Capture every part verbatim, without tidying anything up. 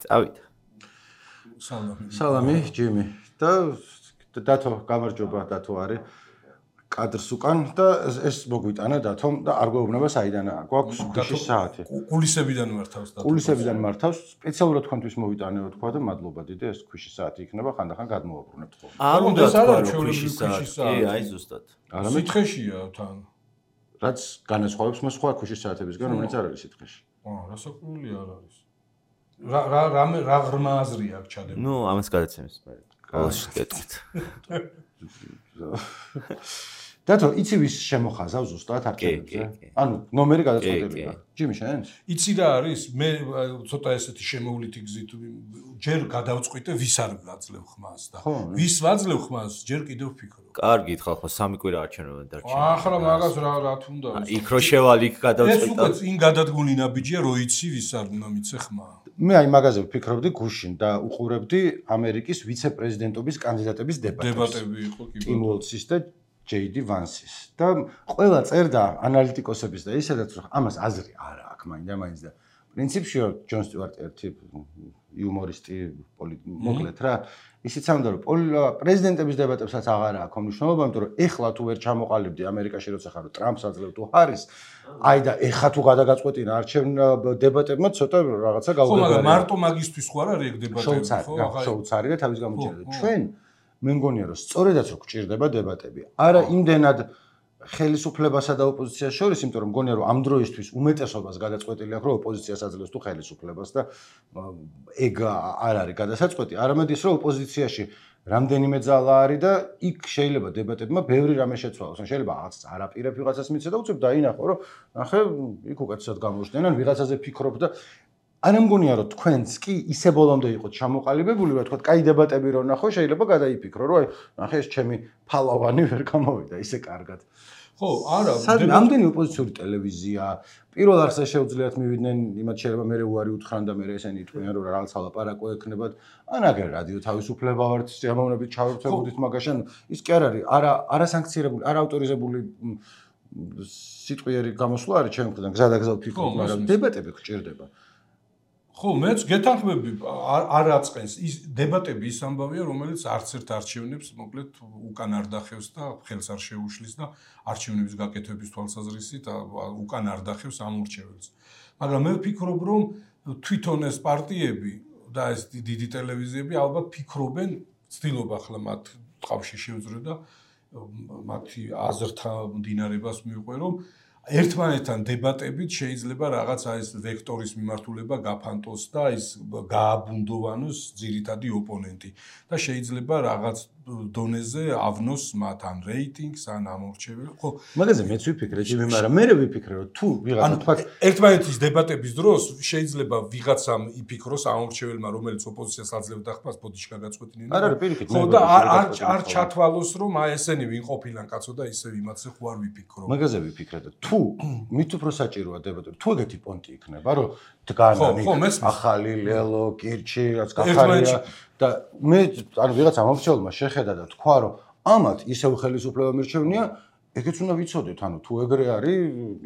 წავით. სალამი. სალამი, ჯიმი. და დათო, გამარჯობა, დათო არის. კადრს უკან და ეს მოგვიტანა დათო და არ გვეუბნება საიდანაა. გვაქვს ქუჩის საათი. კულისებიდან მართავს დათო. კულისებიდან მართავს. სპეციალურად თქვენთვის მოვიტანეო თქვა და მადლობა დიდი, ეს ქუჩის საათი იქნება, ხანდახან გადმოვაბრუნებთ ხოლმე. არ უნდა თქვა ქუჩის საათი. კი, აი ზუსტად. სითხეშია თან. რაც განასხვავებს მას სხვა ქუჩის საათებისგან, რომელიც არ არის სითხეში. აა, რასაკვირველი არ არის. რა რა რამე რა ღრმა აზრია აქ ჩადებული. ნუ ამას გადაცემის მე. ყოველში გეტყვით. დათო, იცი ვის შემოხაზავ ზუსტად არქივებზე? ანუ ნომერი გადაწყვეტილია. ჯიმი შენ? იცი რა არის? მე ცოტა ესეთი შემოვლითი გზით ჯერ გადავწყვიტე ვის არ ვაძლევ ხმას და ვის ვაძლევ ხმას ჯერ კიდევ ვფიქრობ. კარგი ხალხო, სამი კვირა არჩევნებად დარჩენილი. ახრა მაგას რა რა თუნდა. იქ რო შევალ იქ გადავწყვიტე. ეს უკვე წინ გადადგმული ნაბიჯია, რო იცი ვის არ უნდა მიცე ხმა. მე აი მაგაზე ვფიქრობდი გუშინ და უყურებდი ამერიკის ვიცე-პრეზიდენტობის კანდიდატების დებატებს. დებატები იყო კი. ტიმ უოლცის და ჯეი დი ვანსის. და ყველა წერდა ანალიტიკოსების და ისედაც რომ ამას აზრი არ აქვს მაინდა-მაინც და პრინციპში ჯონ სტიუარტი ერთი იუმორისტი მოკლედ რა ისიც ამდა რომ პრეზიდენტების დებატებსაც აღარ აქვს მნიშვნელობა, იმიტომ რომ ეხლა თუ ვერ ჩამოყალიბდი ამერიკაში როცა ხარ ტრამპს აძლევ თუ ჰარის, აი და ეხლა თუ გადაგაწყვეტინა არჩევნ დებატებმა ცოტა რაღაცა გაუგებარია. ხო, მაგრამ მარტო მაგისთვის ხო არ არის ეგ დებატები, ხო, შოუც არის და თავის გამოჩენილი. ჩვენ მე მგონია რომ სწორედაც რო გჭირდება დებატები. არა იმდენად ხელისუფლებასა და ოპოზიციას შორის, იმიტომ რომ მგონია რომ ამ დროისთვის უმეტესობას გადაწყვეტილი აქვს რომ ოპოზიციას აძლევს თუ ხელისუფლებას და ეგ არ არის გადასაწყვეტი. არამედ ის რომ ოპოზიციაში რამდენიმე ძალა არის და იქ შეიძლება დებატებმა ბევრი რამე შეცვალოს. ან შეიძლება რაღაც არაპირებ ვიღაცას მიცე და უცებ დაინახო რომ ნახე იქ უკეთესად გამოჩნდნენ ან ვიღაცაზე ფიქრობ და არ მგონია რომ თქვენც კი ისე ბოლომდე იყოთ ჩამოყალიბებული და თქვა, კაი დებატები რო ნახო, შეიძლება გადაიფიქრო, რომ აი, ნახე ეს ჩემი ფალავანი ვერ გამოვიდა ისე კარგად. ხო, არა, რამდენი ოპოზიციური ტელევიზია, პირველ არხზე შეუძლიათ მივიდნენ, იმათ შეიძლება მე უარი უთხრან და მე ესენი იტყვიან, რომ რაღაც ალაპარაკო ექნებათ, ან აგერ რადიო თავისუფლება ვართ, სიამოვნებით ჩავერთვებოდით მაგაშან, ის კი არ არის, არა არასანქცირებული, არა ავტორიზებული სიტყვიერი გამოსვლა არის ჩემი მხრიდან, გზადაგზა ვფიქრობ, მაგრამ დებატები გჭირდება. ხო, მეც გეთანხმები არ აწყენს ის დებატები ის ამბავია, რომელიც არც ერთ არჩევნებს მოკლედ უკან არ დახევს და ხელს არ შეუშლის და არჩევნების გაკეთების თვალსაზრისით უკან არ დახევს ამ ურჩეველს. მაგრამ მე ვფიქრობ, რომ თვითონ ეს პარტიები და ეს დიდი ტელევიზიები ალბათ ფიქრობენ, ცდილობ ახლა მათ ტყავში შევძრო და მათი აზრთა მდინარებას მივყვე, რომ ერთმანეთთან დებატებით შეიძლება რაღაცა ეს ვექტორის მიმართულება გაფანტოს და ის გააბუნდოვანოს ძირითადი ოპონენტი და შეიძლება რაღაც დონეზე ავნოს მათ ან რეიტინგს ან ამორჩეველ. ხო, მაგაზე მეც ვიფიქრე, ჯიმი, მაგრამ მე ვიფიქრე, რომ თუ ვიღაცა თქვა ერთმანეთის დებატების დროს შეიძლება ვიღაცამ იფიქროს ამორჩეველმა, რომელიც ოპოზიციას აძლევდა ხმას, ბოდიში გაგაწყვეტინენ. არ არის პირიქით. ხო და არ არ ჩათვალოს, რომ აი ესენი ვინ ყოფილან კაცო და ისე იმათზე ხო არ ვიფიქრო. მაგაზე ვიფიქრე და თუ მით უფრო საჭიროა დებატები, თუ ეგეთი პონტი იქნება, რომ დგანანი, ახალი ლელო, კირჩი, რაც გახარია და მე ანუ ვიღაცა მომრჩეველმა შეხედა და თქვა, რომ ამათ ისევ ხელისუფლება მირჩევნია, ეგეც უნდა ვიცოდეთ, ანუ თუ ეგრე არის,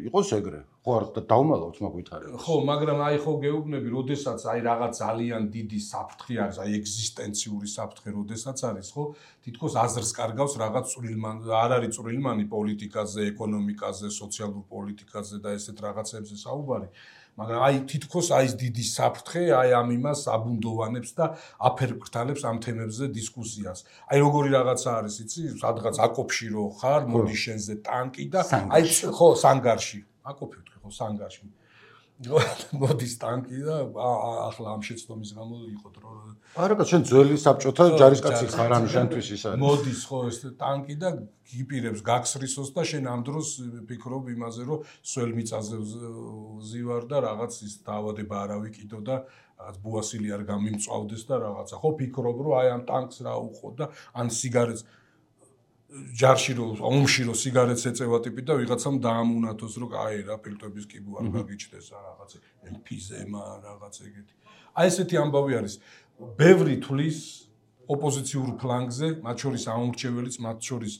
იყოს ეგრე. ხო არ დავუმალავთ მაგ ვითარებას. ხო, მაგრამ აი ხო გეუბნები, როდესაც აი რაღაც ძალიან დიდი საფრთხე არის, აი ეგზისტენციური საფრთხე როდესაც არის, ხო? თითქოს აზრს კარგავს რაღაც წვრილმან, არ არის წვრილმანი პოლიტიკაზე, ეკონომიკაზე, სოციალურ პოლიტიკაზე და ესეთ რაღაცებზე საუბარი. მაგრამ აი თითქოს აი ეს დიდი საფრთხე აი ამ იმას აბუნდოვანებს და აფერფრთალებს ამ თემებზე დისკუსიას. აი როგორი რაღაცა არის, იცი, სადღაც აკოფში რო ხარ, მოდი შენზე ტანკი და აი ხო, სანგარში. აკოფი ვთქვი, ხო, სანგარში. მოდის ტანკი და ახლა ამ შეცდომის გამო იყო დრო. არა, შენ ძველი საბჭოთა ჯარისკაცი ხარ, ანუ შენთვის ის არის. მოდის ხო ეს ტანკი და გიპირებს გაგსრისოს და შენ ამ დროს ფიქრობ იმაზე, რომ სველ მიწაზე ვზივარ და რაღაც ის დაავადება არ ავიკიდო და რაღაც ბუასილი არ გამიმწვავდეს და რაღაცა. ხო ფიქრობ, რომ აი ამ ტანკს რა უყო და ან სიგარეტს ჯარში რო ომში რო სიგარეტს ეწევა ტიპი და ვიღაცამ დაამუნათოს, რომ აი რა ფილტვების კიბო არ გაგიჩნდეს რაღაც ემფიზემა რაღაც ეგეთი. აი ესეთი ამბავი არის. ბევრი თulis ოპოზიციურ ფლანგზე, მათ შორის ამორჩეველიც, მათ შორის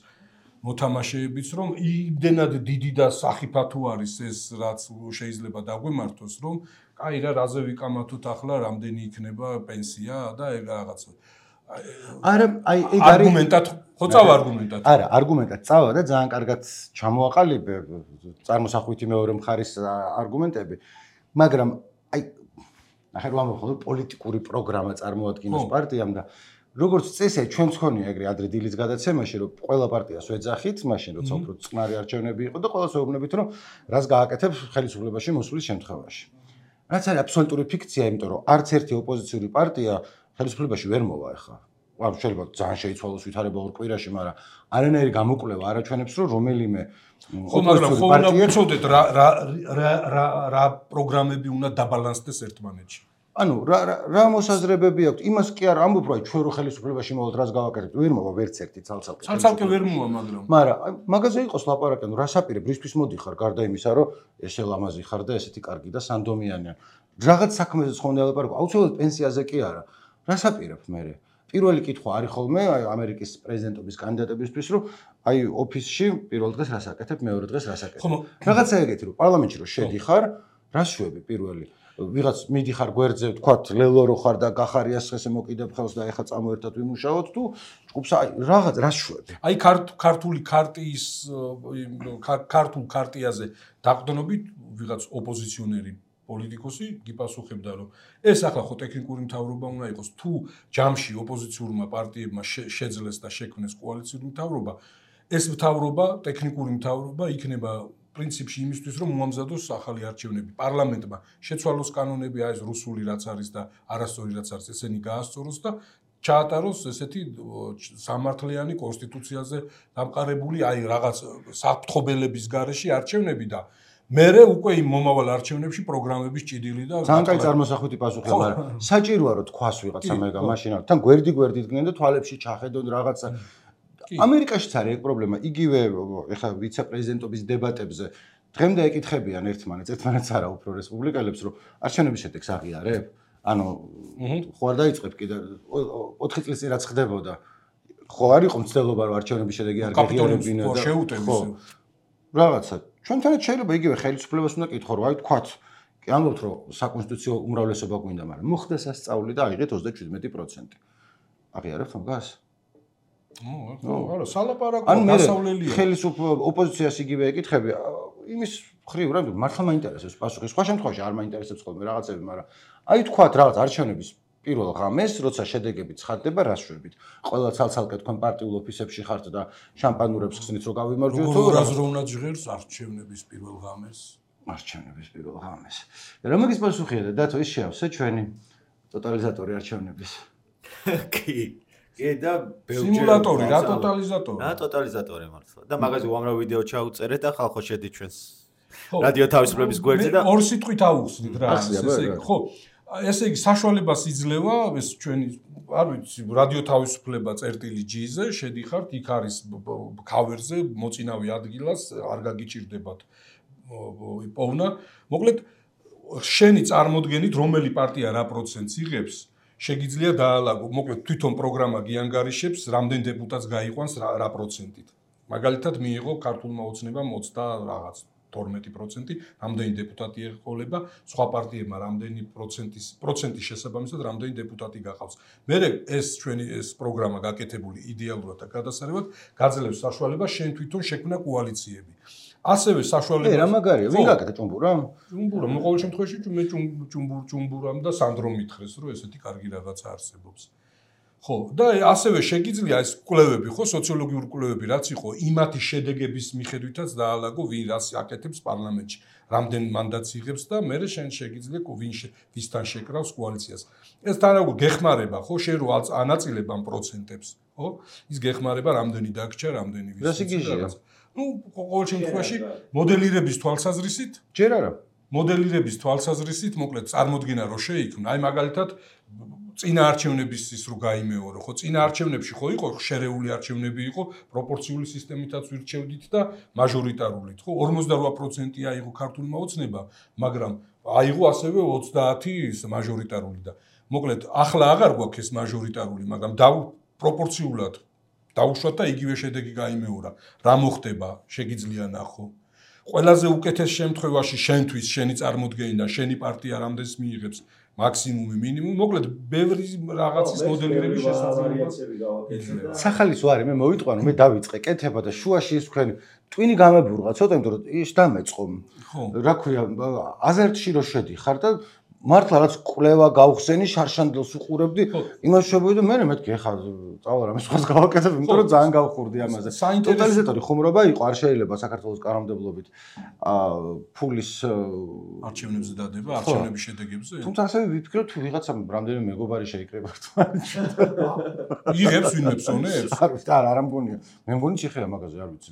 მოთამაშეებიც, რომ იმდენად დიდი და სახიფათო არის ეს, რაც შეიძლება დაგვემართოს, რომ კაი რა, რაზე ვიკამათოთ ახლა, რამდენი იქნება პენსია და ეგ რაღაც. არა, აი ეგ არის არგუმენტად, ხო წავა არგუმენტად. არა, არგუმენტად წავა და ძალიან კარგად ჩამოაყალიბე წარმოსახვითი მეორე მხარის არგუმენტები, მაგრამ აი ახლა რომ ამბობ პოლიტიკური პროგრამა წარმოადგენს პარტიამ და როგორც წესია ჩვენც ხონია ეგრე ადრე დილის გადაცემაში რომ ყველა პარტიას ვეძახით, მაშინ როცა უფრო წყნარი არჩევნები იყო და ყველას ვეუბნებით რომ რას გააკეთებ ხელისუფლებაში მოსulis შემთხვევაში. რაც არის აბსოლუტური ფიქცია, იმიტომ რომ არც ერთი ოპოზიციური პარტია ხელისუფლებაში ვერ მოვა ახლა. ან შეიძლება ძალიან შეიცვალოს ვითარება ორ კვირაში, მაგრამ არანაირი გამოკვლევა არ აჩვენებს რომ რომელიმე ხო, მაგრამ ხო უნდა ვიცოდეთ რა რა რა რა პროგრამები უნდა დაბალანსდეს ერთმანეთში. ანუ რა რა მოსაზრებები აქვს? იმას კი არ ამბობ, რომ ჩვენ რო ხელისუფლებაში მოვთ, რას გავაკეთებთ? ვერ მოვა ვერც ერთი ცალ-ცალკე. ცალ-ცალკე ვერ მოვა, მაგრამ. მაგრამ მაგაზე იყოს ლაპარაკი, ანუ რას აპირებ? რისთვის მოდიხარ გარდა იმისა, რომ ესე ლამაზი ხარ და ესეთი კარგი და სანდომიანია. რაღაც საქმეზე ხონდა ლაპარაკი, აუცილებლად პენსიაზე კი არა. რას აპირებ მე? პირველი კითხვა არის ხოლმე აი ამერიკის პრეზიდენტობის კანდიდატებისთვის, რომ აი ოფისში პირველ დღეს რას აკეთებ, მეორე დღეს რას აკეთებ. რაღაცა ეგეთი, რომ პარლამენტში რო შედიხარ, რას შვები პირველი? ვიღაც მიდიხარ გვერდზე, თქვათ, ლელო რო ხარ და გახარიას ხესე მოკიდებ ხელს და ეხა წამო ერთად ვიმუშაოთ თუ ჯგუფს აი რაღაც რას შვები? აი ქართული ქარტიის ქართულ ქარტიაზე დაყრდნობით ვიღაც ოპოზიციონერი პოლიტიკოსი გიპასუხებდა რომ ეს ახლა ხო ტექნიკური მთავრობა უნდა იყოს თუ ჯამში ოპოზიციურმა პარტიებმა შეძლეს და შექმნეს კოალიციური მთავრობა ეს მთავრობა ტექნიკური მთავრობა იქნება პრინციპში იმისთვის რომ მოამზადოს ახალი არჩევნები პარლამენტმა შეცვალოს კანონები აი ეს რუსული რაც არის და არასწორი რაც არის ესენი გაასწოროს და ჩაატაროს ესეთი სამართლიანი კონსტიტუციაზე დამყარებული აი რაღაც საფრთხობელების გარეშე არჩევნები და მერე უკვე იმ მომავალ არჩევნებში პროგრამების ჭიდილი და ძალიან კაი წარმოსახვითი პასუხია, მაგრამ საჭიროა რომ თქვას ვიღაცა მეგა მაშინ არ თან გვერდი გვერდი დგნენ და თვალებში ჩახედონ რაღაცა. ამერიკაშიც არის ეგ პრობლემა. იგივე ეხლა ვიცე-პრეზიდენტობის დებატებზე დღემდე ეკითხებიან ერთმანეთს, ერთმანეთს არა უფრო რესპუბლიკელებს, რომ არჩევნების შედეგს აღიარებ? ანუ ხო არ დაიწყებ კიდე ოთხი წლის წინ რაც ხდებოდა. ხო არ იყო მცდელობა რომ არჩევნების შედეგი არ გაღიარებინა და შეუტევის რაღაცა ჩვენთანაც შეიძლება იგივე ხელისუფლებას უნდა კითხო რომ აი თქვათ კი ამბობთ რომ საკონსტიტუციო უმრავლესობა გვინდა მაგრამ მოხდა სასწაული და აიღეთ ოცდაშვიდმეტი პროცენტი აღიარებთ ამას? ო არა სალაპარაკო გასავლელია ხელისუფლება ოპოზიციას იგივე ეკითხები იმის ხრივ რა მართლა მაინტერესებს პასუხი სხვა შემთხვევაში არ მაინტერესებს ხოლმე რაღაცები მაგრამ აი თქვათ რაღაც არჩევნების პირველ ღამეს, როცა შედეგები ცხადდება, რას შვებით? ყველა ცალ-ცალკე თქვენ პარტიულ ოფისებში ხართ და შამპანურებს ხსნით, რომ გავიმარჯვოთ, თუ რას რო უნდა ჟღერს არჩევნების პირველ ღამეს? არჩევნების პირველ ღამეს. რა მაგის პასუხია და დათო ის შეავსე ჩვენი ტოტალიზატორი არჩევნების. კი. კი და სიმულატორი, რა ტოტალიზატორი? რა ტოტალიზატორი მართლა. და მაგაზე უამრავ ვიდეო ჩაუწერეთ და ხალხო შედი ჩვენს რადიო თავისუფლების გვერდზე და ორ სიტყვით აუხსნით რა, ესე იგი, ხო. ესე იგი საშუალებას იძლევა ეს ჩვენი არ ვიცი რადიო თავისუფლება წერტილი ჯი-ზე შედიხართ იქ არის ქავერზე მოწინავე ადგილას არ გაგიჭირდებათ პოვნა მოკლედ შენი წარმოდგენით რომელი პარტია რა პროცენტს იღებს შეგიძლია დაალაგო მოკლედ თვითონ პროგრამა გიანგარიშებს რამდენ დეპუტატს გაიყვანს რა პროცენტით მაგალითად მიიღო ქართულმა ოცნებამ ოცდა რაღაც თორმეტი პროცენტი რამდენი დეპუტატი ეყოლება სხვა პარტიებმა რამდენი პროცენტის პროცენტის შესაბამისად რამდენი დეპუტატი გახავს მე ეს ჩვენი ეს პროგრამა გაკეთებული იდეალურად და გადასარევად გაძლევს საშუალებას შენ თვითონ შექმნა კოალიციები ასევე საშუალებას რა მაგარია ვინ გაკეთე ჭუმბურა ჭუმბურა მე ყოველ შემთხვევაში მე ჭუმბურ ჭუმბურამ და სანდრო მითხრეს რომ ესეთი კარგი რაღაცა არსებობს ხო და ასევე შეგიძლია ეს კვლევები ხო სოციოლოგიური კვლევები რაც იყო იმათი შედეგების მიხედვითაც დაალაგო ვინ რას აკეთებს პარლამენტში რამდენ მანდატს იღებს და მე შენ შეგიძლია ვინ ვისთან შეკრავს კოალიციას ეს თან როგორ გეხმარება ხო შენ რო ანაწილებ ამ პროცენტებს ხო ის გეხმარება რამდენი დაგჭა რამდენი ვის რას იგიჟია ნუ ყოველ შემთხვევაში მოდელირების თვალსაზრისით ჯერ არა მოდელირების თვალსაზრისით მოკლედ წარმოდგენა რო შეიქმნა აი მაგალითად წინა არჩევნების ის რო გაიმეორო ხო წინა არჩევნებში ხო იყო შერეული არჩევნები იყო პროპორციული სისტემითაც ვირჩევდით და მაჟორიტარულით ხო ორმოცდარვა პროცენტი აიღო ქართულმა ოცნება მაგრამ აიღო ასევე ოცდაათი ის მაჟორიტარული და მოკლედ ახლა აღარ გვაქვს ეს მაჟორიტარული მაგრამ პროპორციულად დაუშვათ და იგივე შედეგი გაიმეორა რა მოხდება შეგიძლია ნახო ყველაზე უკეთეს შემთხვევაში შენთვის შენი წარმოდგენიდან შენი პარტია რამდენს მიიღებს მაქსიმუმი მინიმუმი მოკლედ ბევრი რაღაცის მოდელირების შესაძლებლობა სახალის ვარი მე მოვიტყვანო მე დავიწყე კეთება და შუაში ის თქვენ ტვინი გამებურღა ცოტა იმიტომ რომ ის დამეწყო რა ქვია აზერტში რო შედიხარ და მართლა რაც კვლევა გავხსენი შარშანდელს უყურებდი იმას შევიდე მე მეთქი ეხა წავალ რამე სხვას გავაკეთებ იმიტომ რომ ძალიან გავხურდი ამაზე ტოტალიზატორი ხუმრობა იყო არ შეიძლება საქართველოს კანონმდებლობით ფულის არჩევნებზე დადება არჩევნების შედეგებზე თუმცა ასევე ვიფიქრე თუ ვიღაცა რამდენიმე მეგობარი შეიკრება იღებს ვინმე ფსონებს არ ვიცი არა არ მგონია მე მგონი ჭიხია მაგაზე არ ვიცი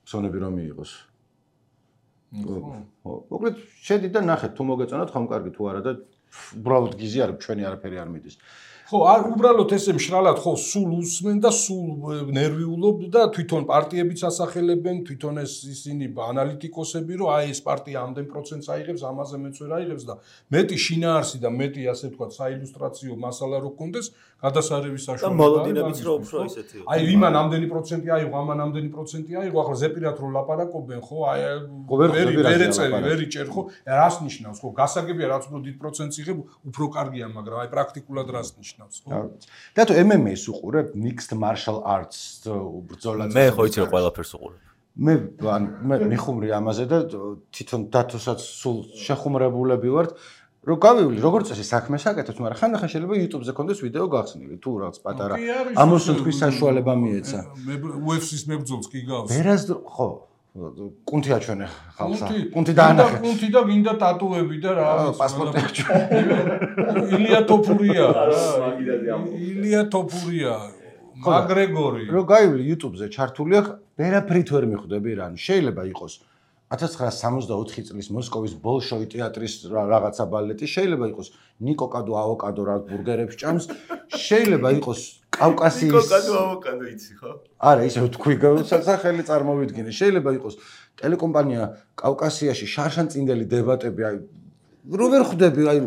ფსონები რომ მიიღოს ხო მოკლედ შედი და ნახეთ თუ მოგეწონათ ხომ კარგი თუ არა და უბრალოდ გიზი არ ჩვენი არაფერი არ მიდის ხო არ უბრალოდ ესე მშრალად ხო სულ უსმენ და სულ ნერვიულობ და თვითონ პარტიებიც ასახელებენ თვითონ ეს ისინი ანალიტიკოსები რომ აი ეს პარტია ამდენ პროცენტს აიღებს ამაზე მეც ვერ აიღებს და მეტი შინაარსი და მეტი ასე ვთქვათ საილუსტრაციო მასალა რო გქონდეს გადასარევის საშუალება და მოლოდინებიც რო უფრო ისეთი აი იმან ამდენი პროცენტი აიღო ამან ამდენი პროცენტი აიღო ახლა ზეპირად რო ლაპარაკობენ ხო აი ვერი ვერ ეწევი ვერ იჭერ ხო რას ნიშნავს ხო გასაგებია რაც უფრო დიდ პროცენტს იღებ უფრო კარგია მაგრამ აი პრაქტიკულად რას ნიშნავს და თუ M M A-ს უყურებ mixed martial arts ბრძოლას მე ხო იცი რომ ყველაფერს უყურებ მე მე მიხუმრი ამაზე და თვითონ დათოსაც სულ შეხუმრებულები ვართ რომ გავივლი როგორც წესი საქმეს აკეთებს მაგრამ ხანდახან შეიძლება YouTube-ზე კონდეს ვიდეო გახსნილი თუ რაღაც პატარა ამოსუნთქვის საშუალება მიეცა მე U F C-ს მებრძოლს კი გავს ვერას ხო კუნთი აჩვენე ხალხს კუნთი დაანახე კუნთი და გინდა ტატუები და რა პასპორტი აჩვენე ილია თოფურია ილია თოფურია მაგრეგორი რო გაივლი YouTube-ზე ჩართული აქვს ვერაფრით ვერ მიხვდები რა შეიძლება იყოს ათას ცხრაასი სამოცდაოთხი წლის მოსკოვის ბოლშოი თეატრის რაღაცა ბალეტი შეიძლება იყოს ნიკო კადო ავოკადო რა ბურგერებს ჭამს შეიძლება იყოს კავკასიის ნიკო კადო ავოკადო იცი ხო არა ისე თქვი სახელი წარმოვიდგინე შეიძლება იყოს ტელეკომპანია კავკასიაში შარშანწინდელი დებატები აი რო ვერ ხვდები აი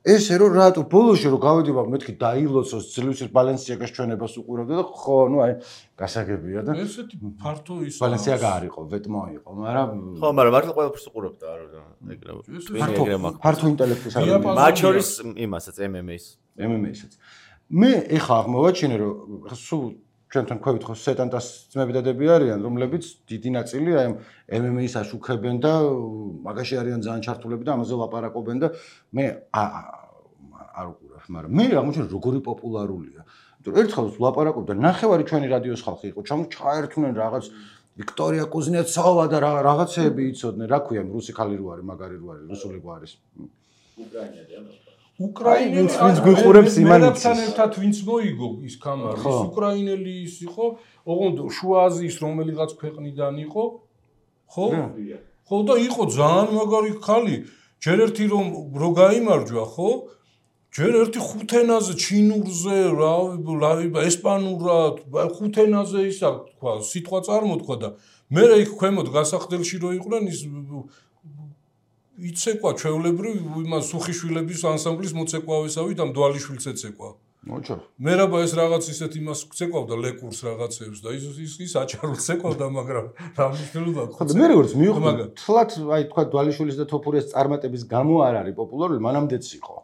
ესე რომ რატო ბოლოში რომ გავედება მეთქი დაილოცოს ძლივს ბალენსიაგას ჩვენებას უყურებდა და ხო ნუ აი გასაგებია და ესეთი ფართო ის ბალენსიაგა არ იყო ვეტმო იყო მაგრამ ხო მაგრამ მართლა ყველაფერს უყურებდა არა ეგრე ფართო ფართო ინტელექტის არ მათ შორის იმასაც M M A-ს M M A-საც მე ეხა აღმოვაჩინე რომ სულ ჩვენთან ქვევით ხო სეტანტას ძმები დადები არიან რომლებიც დიდი ნაწილი აი M M A-ს აშუქებენ და მაგაში არიან ძალიან ჩართულები და ამაზე ლაპარაკობენ და მე არ უყურებ მაგრამ მე აღმოჩნდა როგორი პოპულარულია იმიტომ ერთხელ ლაპარაკობდა ნახევარი ჩვენი რადიოს ხალხი იყო ჩაერთვნენ რაღაც ვიქტორია კუზნეცოვა და რაღაცეები იცოდნენ რა ქვია რუსი ხალი რო არის მაგარი რო არის რუსული რო არის უკრაინელი უკრაინელი ვინც გვიყურებს იმანიც მერაბთან ერთად ვინც მოიგო ის კამარი ის უკრაინელი ის იყო ოღონდ შუა აზიის რომელიღაც ქვეყნიდან იყო ხო ხო და იყო ძალიან მაგარი ხალი ჯერ ერთი რომ რო გაიმარჯვა ხო ჯერ ერთი ხუთენაზე ჩინურზე რა ესპანურად ხუთენაზე ისა თქვა სიტყვა წარმოთქვა და მე იქ ქვემოთ გასახდელში რო იყვნენ ის იცეკვა ჩვეულებრივ იმას სუხიშვილების ანსამბლის მოცეკვავესავით ამ დვალიშვილს ეცეკვა. მოჩო. მერაბა ეს რაღაც ისეთ იმას ცეკვავდა ლეკურს რაღაცებს და ის ის ის აჭარულს ცეკვავდა მაგრამ რა მნიშვნელობა აქვს. ხო და მე როგორც მივხვდი თლათ აი თქვა დვალიშვილის და თოფურიას წარმატების გამო არ არის პოპულარული მანამდეც იყო.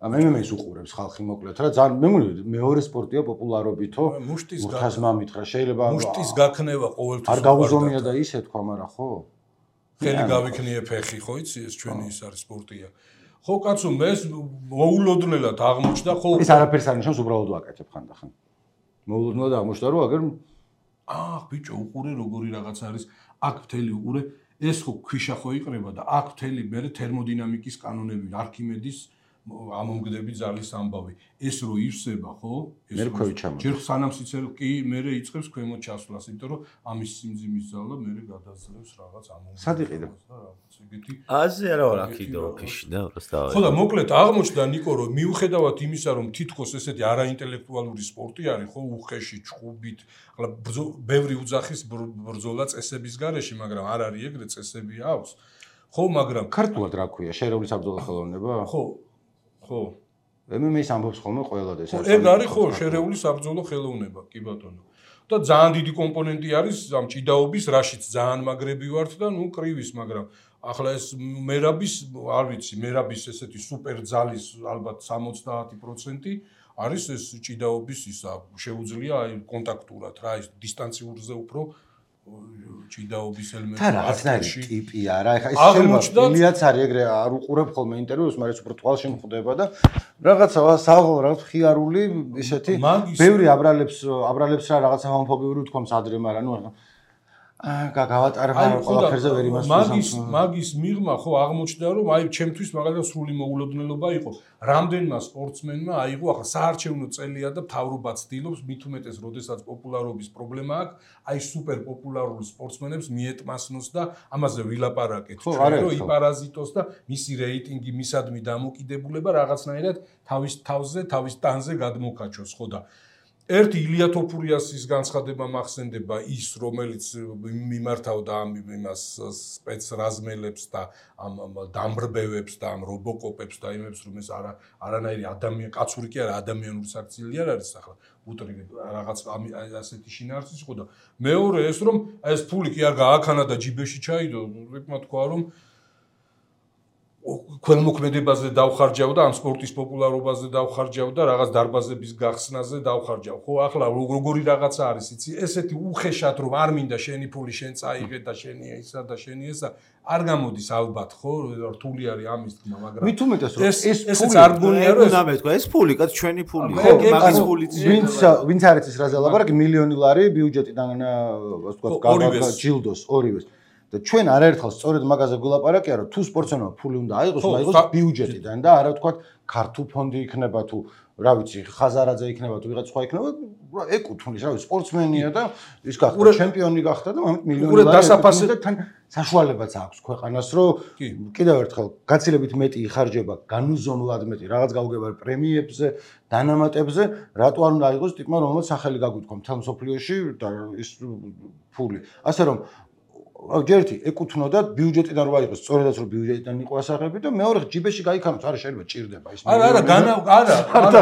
ამ M M A-ს უყურებს ხალხი მოკლედ რა ძალიან მე მგონი მეორე სპორტია პოპულარობითო მურთაზმამით რა შეიძლება მუშტის გაქნება ყოველთვის არ გაუზომია და ისე თქვა მაგრამ ხო ხელი გავიქნიე ფეხი ხო იცი ეს ჩვენი ის არის სპორტია ხო კაცო მე მოულოდნელად აღმოჩნდა ხო ეს არაფერს არ ნიშნავს უბრალოდ ვაკეთებ ხანდახან მოულოდნელად აღმოჩნდა რომ აგერ აა ბიჭო უყურე როგორი რაღაც არის აქ მთელი უყურე ეს ხო ქვიშა ხო იყრება და აქ მთელი მე თერმოდინამიკის კანონები არქიმედის ამომგდები ძალის ამბავი ეს რო ივსება ხო მე რქვევიჩამო ჯერ სანამ სიცელ კი მე იწყებს ქვემოთ ჩასვლას იმიტომ რომ ამის სიმძიმის ძალა მე გადაძლევს რაღაც ამომგდები სად იყიდა რაღაც ეგეთი აზე არა ვარ აქიდო ფიში და უბრალოდ ხო და მოკლედ აღმოჩნდა ნიკო რომ მიუხედავად იმისა რომ თითქოს ესეთი არაინტელექტუალური სპორტი არის ხო უხეში ჭუბით ახლა ბევრი უძახის ბრძოლა წესების გარეშე მაგრამ არ არის ეგრე წესები აქვს ხო მაგრამ ქართულად რა ქვია შერეული საბრძოლო ხელოვნება ხო ხო M M A-ს ამბობს ხოლმე ყველა და ეს ეგ არის ხო შერეული საბრძოლო ხელოვნება კი ბატონო და ძალიან დიდი კომპონენტი არის ამ ჭიდაობის, რაშიც ძალიან მაგრები ვართ და ნუ კრივის, მაგრამ ახლა ეს მერაბის, არ ვიცი, მერაბის ესეთი სუპერ ძალის ალბათ სამოცდაათი პროცენტი არის ეს ჭიდაობის ისა, შეუძლია აი კონტაქტურად რა, ის დისტანციურზე უფრო ჭიდაობის ელემენტი. და რაღაცნაირი ტიპი არა, ეხა ეს შეიძლება ილიაც არის ეგრე არ უყურებ ხოლმე ინტერვიუს, მაგრამ უფრო თვალში მხვდება და რაღაცა საღოლ რაღაც ხიარული ესეთი ბევრი აბრალებს აბრალებს რა რაღაცა ჰომოფობიური თქოს ადრე, მაგრამ ნუ აა გავატარებ ყველაფერზე ვერ იმას მაგის მაგის მიღმა ხო აღმოჩნდა რომ აი ჩემთვის მაგალითად სრული მოულოდნელობა იყო რამდენმა სპორტსმენმა აიღო ახლა საარჩევნო წელია და მთავრობა ცდილობს მით უმეტეს როდესაც პოპულარობის პრობლემა აქვს აი სუპერ პოპულარულ სპორტსმენებს მიეტმასნოს და ამაზე ვილაპარაკეთ ჩვენ რომ იპარაზიტოს და მისი რეიტინგი მისადმი დამოკიდებულება რაღაცნაირად თავის თავზე თავის ტანზე გადმოკაჩოს ხო და ერთი ილია თოფურიასის განცხადება მახსენდება ის რომელიც მიმართავდა ამ იმას სპეცრაზმელებს და ამ დამბრბევებს და ამ რობოკოპებს და იმებს რომ ეს არა არანაირი ადამიანი კაცური კი არა ადამიანური საქციელი არ არის ახლა უტრიგ რაღაც ასეთი შინაარსი იყო და მეორე ეს რომ ეს ფული კი არ გააქანა და ჯიბეში ჩაიდო რეკმა თქვა რომ ქველმოქმედებაზე დავხარჯავდა ამ სპორტის პოპულარობაზე დავხარჯავდა რაღაც დარბაზების გახსნაზე დავხარჯავ ხო ახლა როგორი რაღაცა არის იცი ესეთი უხეშად რომ არ მინდა შენი ფული შენ წაიღე და შენი ისა და შენი ესა არ გამოდის ალბათ ხო რთული არის ამის თქმა მაგრამ მით უმეტეს რომ ეს ესეც არ გონია რომ ეს თქვა ეს ფული კაც ჩვენი ფულია მაგის ფულიც ვინც ვინც არ იცის რაზე ლაპარაკი მილიონი ლარი ბიუჯეტიდან ასე ვთქვა ჯილდოს ორივეს და ჩვენ არაერთხელ სწორედ მაგაზე გულაპარაკია რომ თუ სპორტსმენმა ფული უნდა აიღოს, აიღოს ბიუჯეტიდან და არა თქვა ქართულ ფონდი იქნება თუ რა ვიცი ხაზარაძე იქნება თუ ვიღაც სხვა იქნება ეკუთვნის რა ვიცი სპორტსმენია და ის გახდა ჩემპიონი გახდა და ამით მილიონი ლარი და თან საშუალებაც აქვს ქვეყანას რომ კიდევ ერთხელ გაცილებით მეტი იხარჯება განუზომლად მეტი რაღაც გაუგებარ პრემიებზე დანამატებზე რატო არ უნდა აიღოს ტიპმა რომელსაც სახელი გაგვიქვა მთელ მსოფლიოში და ის ფული ასე რომ ჯერთი ეკუთვნოდა ბიუჯეტიდან რო აიღოს სწორედაც რომ ბიუჯეტიდან იყო ასაღები და მეორე ჯიბეში გაიქანოს არა შეიძლება ჭირდება ის არა არა განა არა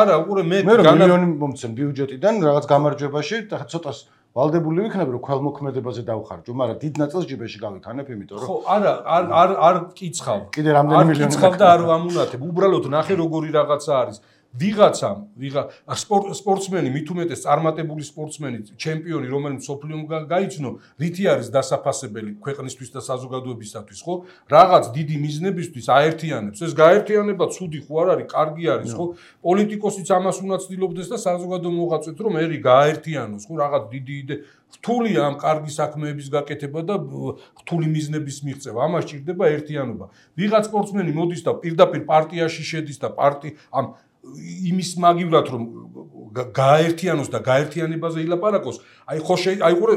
არა უყურე მე განა მილიონი მომცემ ბიუჯეტიდან რაღაც გამარჯვებაში და ცოტას ვალდებული ვიქნები რომ ქველმოქმედებაზე დავხარჯო მაგრამ დიდ ნაწილს ჯიბეში გავიქანებ იმიტომ რომ ხო არა არ არ არ კიცხავ კიდე რამდენი მილიონი კიცხავ და არ ვამუნათებ უბრალოდ ნახე როგორი რაღაცა არის ვიღაცამ ვიღა სპორტსმენი მით უმეტეს წარმატებული სპორტსმენი ჩემპიონი რომელიც სოფლიომ გაიცნო რითი არის დასაფასებელი ქვეყნისთვის და საზოგადოებისათვის ხო რაღაც დიდი მიზნებისთვის აერთიანებს ეს გაერთიანება ცუდი ხო არ არის კარგი არის ხო პოლიტიკოსიც ამას უნდა ცდილობდეს და საზოგადო მოღვაწეც რომ ერი გაერთიანოს ხო რაღაც დიდი იდე რთულია ამ კარგი საქმეების გაკეთება და რთული მიზნების მიღწევა ამას ჭირდება ერთიანობა ვიღაც სპორტსმენი მოდის და პირდაპირ პარტიაში შედის და პარტი ამ იმის მაგივრად რომ გაერთიანოს და გაერთიანებაზე ილაპარაკოს აი ხო აი ყურე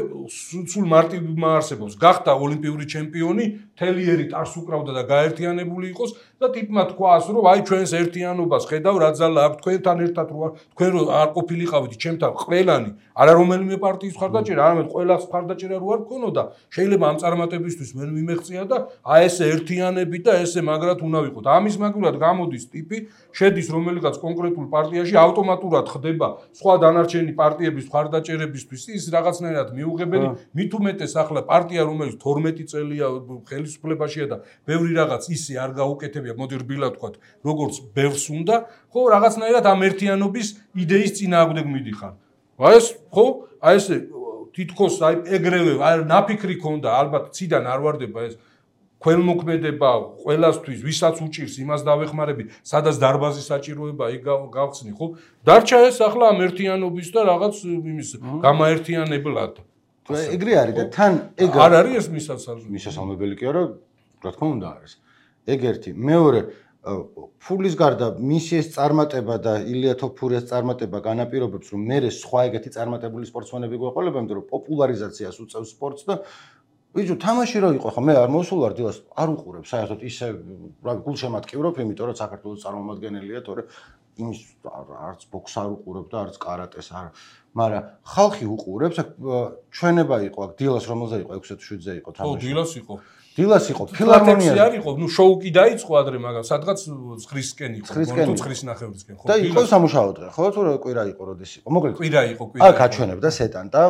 სულ მარტივმა არსებობს გახდა ოლიმპიური ჩემპიონი თელიერით არს უკრავდა და გაერთიანებული იყოს და ტიპმა თქვას რომ აი ჩვენს ერთიანობას ხედავ რა ძალა აქვს თქვენთან ერთად რო თქვენ რო არ ყოფილიყავით ჩემთან ყველანი არა რომელიმე პარტიის მხარდაჭერა არამედ ყველას მხარდაჭერა რო არ გქონოდა შეიძლება ამ წარმატებისთვის მე მიმეღწია და აი ესე ერთიანები და ესე მაგრად უნდა ვიყოთ ამის მაგივრად გამოდის ტიპი შედის რომელიღაც კონკრეტულ პარტიაში ავტომატურად ხდება სხვა დანარჩენი პარტიების მხარდაჭერებისთვის ის რაღაცნაირად მიუღებელი მით უმეტეს ახლა პარტია რომელიც თორმეტი წელია ხელისუფლებაშია და ბევრი რაღაც ისე არ გაუკეთებია მოდი რბილად ვთქვათ როგორც ბევრს უნდა ხო რაღაცნაირად ამ ერთიანობის იდეის წინააღმდეგ მიდიხარ აი ეს ხო აი ეს თითქოს აი ეგრევე აი ნაფიქრი ქონდა ალბათ ციდან არ ვარდება ეს ქველმოქმედება ყველასთვის ვისაც უჭირს იმას დავეხმარები სადაც დარბაზის საჭიროება იქ გავხსნი ხო დარჩა ეს ახლა ამ ერთიანობის და რაღაც იმის გამაერთიანებლად ეგრე არის და თან ეგ არ არის ეს მისასალმებელი მისასალმებელი კი არა რა თქმა უნდა არის ეგ ერთი მეორე ფულის გარდა მისი ეს წარმატება და ილია თოფურიას წარმატება განაპირობებს რომ მე სხვა ეგეთი წარმატებული სპორტსმენები გვეყოლება იმიტომ რომ პოპულარიზაციას უწევს სპორტს და ვიძუ თამაში რო იყო ხო მე არ მოსულვარ დილას არ უყურებ საერთოდ ისე რა გულშემატკივრობ იმიტომ რომ საქართველოს წარმომადგენელია თორე იმის არც ბოქს არ უყურებ და არც კარატეს არ მაგრამ ხალხი უყურებს ჩვენება იყო აქ დილას რომელზე იყო ექვსი ათი შვიდზე იყო თამაში ხო დილას იყო დილას იყო ფილარმონია. არ იყო, ნუ შოუ კი დაიწყო ადრე, მაგრამ სადღაც ცხრისკენ იყო, გონო ცხრის ნახევრისკენ, ხო? და იყო სამუშაო დღე, ხო? თუ კვირა იყო, როდის იყო? მოკლედ კვირა იყო, კვირა. აქ აჩვენებდა სეტანტა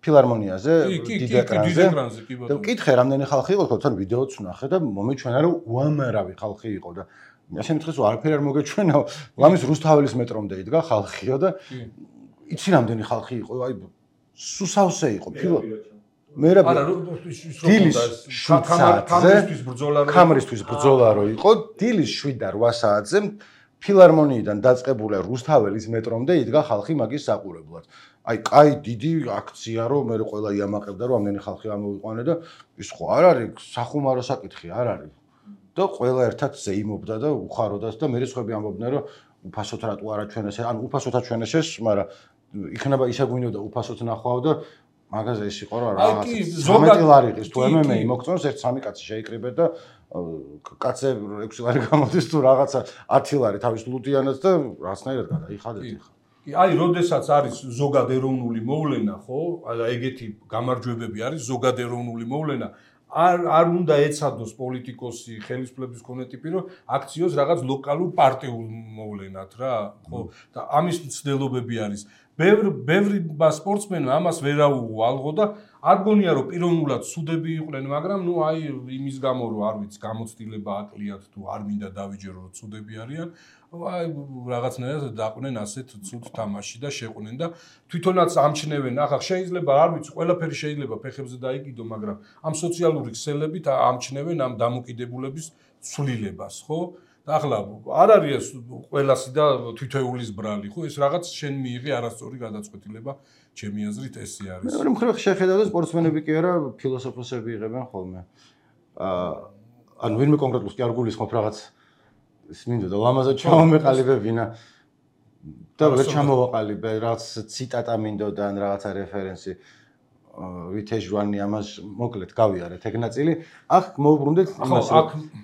ფილარმონიაზე, დიდ ეკრანზე. და მკითხე, რამდენი ხალხი იყო, თქო, თან ვიდეოც ვნახე და მომეჩვენა, რომ უამრავი ხალხი იყო და ასე მითხეს, რომ არაფერი არ მოგეჩვენა, ლამის რუსთაველის მეტრომდე იდგა ხალხიო და იცი რამდენი ხალხი იყო, აი სუსავსე იყო ფილო მე რა დილის შვიდ საათზე კამერისთვის ბრძოლა რო იყო დილის შვიდ და რვა საათზე ფილარმონიიდან დაწყებული რუსთაველის მეტრომდე იდგა ხალხი მაგის საყურებლად აი კაი დიდი აქცია რომ მე ყველა იამაყებდა რომ ამდენი ხალხი ამოვიყვანე და ის ხო არ არის სახუმარო საკითხი არ არის და ყველა ერთად ზეიმობდა და უხაროდას და მე სხვები ამბობდნენ რომ უფასოდ რატო არ აჩვენეს ან უფასოდ აჩვენეს მაგრამ იქნება ისე გვინდოდა უფასოდ ნახვაო და მაგაზე ის იყო რა რაღაც ზოგადად ლარიღის თუ ემემეი მოგწონს ერთ სამი კაცი შეიკრიბეთ და კაცზე ექვსი ლარი გამოდის თუ რაღაცა ათი ლარი თავის ლუდიანად და რაღაცნაირად გადაიხადეთ ხა კი აი როდესაც არის ზოგად ეროვნული მოვლენა ხო აი ეგეთი გამარჯვებები არის ზოგად ეროვნული მოვლენა არ არ უნდა ეცადოს პოლიტიკოსი ხელისუფლების კონე ტიპი რომ აქციოს რაღაც ლოკალურ პარტიულ მოვლენად რა ხო და ამის მცდელობები არის ბევრი ბევრი სპორტსმენმა ამას ვერ აუღო ალღო და არ გონია რომ პიროვნულად სუდები იყვნენ მაგრამ ნუ აი იმის გამო რომ არ ვიცი გამოცდილება აკლიათ თუ არ მინდა დავიჯერო რომ სუდები არიან აი რაღაცნაირად დაყვნენ ასეთ ცუდ თამაში და შეყვნენ და თვითონაც ამჩნევენ ახლა შეიძლება არ ვიცი ყველაფერი შეიძლება ფეხებზე დაიგიდო მაგრამ ამ სოციალური ქსელებით ამჩნევენ ამ დამოკიდებულების ცვლილებას ხო და ახლა არ არის ყველასი და თითოეულის ბრალი ხო ეს რაღაც შენ მიიღე არასწორი გადაწყვეტილება ჩემი აზრით ესე არის მე მხრივ შეხედავ სპორტსმენები კი არა ფილოსოფოსები იღებენ ხოლმე აა ანუ ვინმე კონკრეტულად კი არ გულისხმობ რაღაც ის მინდა და ლამაზად ჩამომეყალიბებინა და ვერ ჩამოვაყალიბე რაღაც ციტატა მინდოდა ან რაღაცა რეფერენსი ვითეჟვანი ამას მოკლედ გავიარეთ ეგ ნაწილი აქ მოვუბრუნდეთ იმას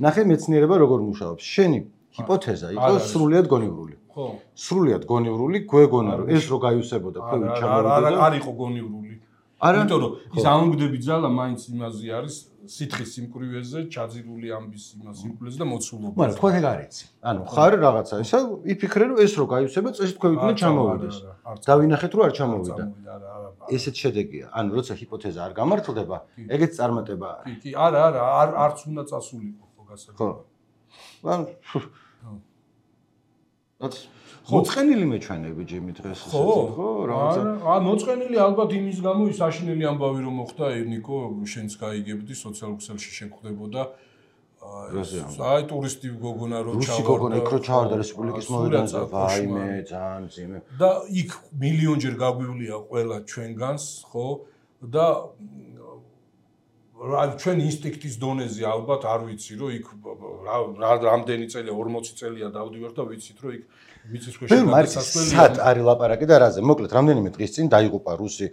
ნახე მეცნიერება როგორ მუშაობს შენი ჰიპოთეზა იყო სრულიად გონივრული ხო სრულიად გონივრული გვეგონა რომ ეს რო გაიუსებოდა ქვევით ჩამოვიდა არ იყო გონივრული იმიტომ რომ ის ამგდები ძალა მაინც იმაზე არის სითხის სიმკვრივეზე ჩაძირული ამბის იმას სიმკვრივეზე და მოცულობა მაგრამ თქვენ ეგ არ იცი ანუ ხარ რაღაცა ისა იფიქრე რომ ეს რო გაიუსება წესით ქვევით უნდა ჩამოვიდეს დავინახეთ რომ არ ჩამოვიდა ესეთ შედეგია ანუ როცა ჰიპოთეზა არ გამართლდება ეგეც წარმატება არის კი კი არა არა არ არც უნდა წასულიყო ხო გასაგებია ხო ანუ მოწყენილი მეჩვენები ჯიმი დღეს ხო ხო რაღაცა აა მოწყენილი ალბათ იმის გამო ის აშინელი ამბავი რომ მოხდა ერნიკო შენც გაიგებდი სოციალურ ქსელში შეგხვდებოდა აი ტურისტი გოგონა რო ჩავარდა რუსი გოგონა იქ რო ჩავარდა რესპუბლიკის მოედანზე ვაიმე ძალიან ძიმე და იქ მილიონჯერ გაგვივლია ყველა ჩვენგანს ხო და რა ჩვენ ინსტინქტის დონეზე ალბათ არ ვიცი რომ იქ რამდენი წელია ორმოცი წელია დავდივარ და ვიცით რომ იქ ვიცის ქვეშ გადასასვლელი სად არის ლაპარაკი და რაზე მოკლედ რამდენიმე დღის წინ დაიღუპა რუსი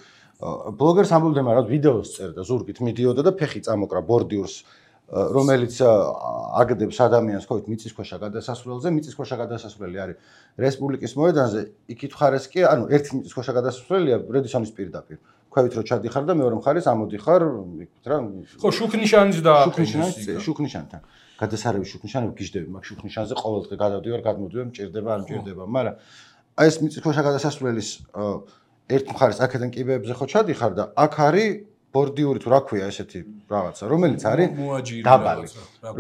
ბლოგერს ამბობდა მაგრამ ვიდეოს წერდა ზურგით მიდიოდა და ფეხი წამოკრა ბორდიურს რომელიც აგდებს ადამიანს ხო მიწისქვეშა გადასასვლელზე მიწისქვეშა გადასასვლელი არის რესპუბლიკის მოედანზე იქით ხარეს კი ანუ ერთი მიწისქვეშა გადასასვლელია რედისონის პირდაპირ ქვევით რო ჩადიხარ და მეორე მხარეს ამოდიხარ იქით რა ხო შუქნიშანის და შუქნიშანის შუქნიშანთან გადასარევი შუქნიშანები გიждები მაგ შუქნიშანზე ყოველ დღე გადავდივარ გადმოდივარ მჭირდება არ მჭირდება მაგრამ აი ეს მიწისქვეშა გადასასვლელის ერთ მხარეს აქედან კიბეებზე ხო ჩადიხარ და აქ არის ბორდიური თუ რა ქვია ესეთი რაღაცა რომელიც არის დაბალი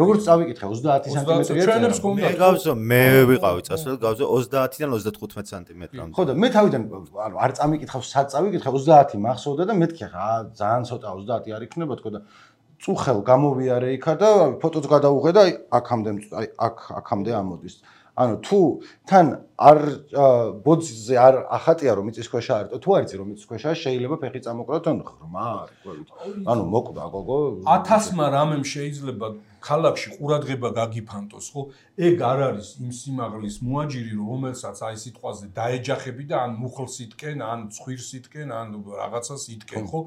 როგორც წავიკითხე ოცდაათი სანტიმეტრია მე გავზო მე ვიყავი წასვლელ გავზო ოცდაათიდან ოცდათხუთმეტ სანტიმეტრამდე ხო და მე თავიდან ანუ არ წამიკითხავ სად წავიკითხე ოცდაათი მახსოვდა და მეთქი ხა ძალიან ცოტა ოცდაათი არ იქნება თქო და წუხელ გამოვიარე იქა და ფოტოც გადაუღე და აქამდე აი აქ აქამდე ამოდის ანუ თუ თან არ ბოძზე არ ახატია რომ მიწისქვეშა არის თუ არ იცი რომ მიწისქვეშა შეიძლება ფეხი წამოკრა თან ღრმა არის ყვევით ანუ მოკვდა გოგო ათასმა რამემ შეიძლება ქალაქში ყურადღება გაგიფანტოს ხო ეგ არ არის იმ სიმაღლის მოაჯირი რომელსაც აი სიტყვაზე დაეჯახები და ან მუხლს იტკენ ან ცხვირს იტკენ ან რაღაცას იტკენ ხო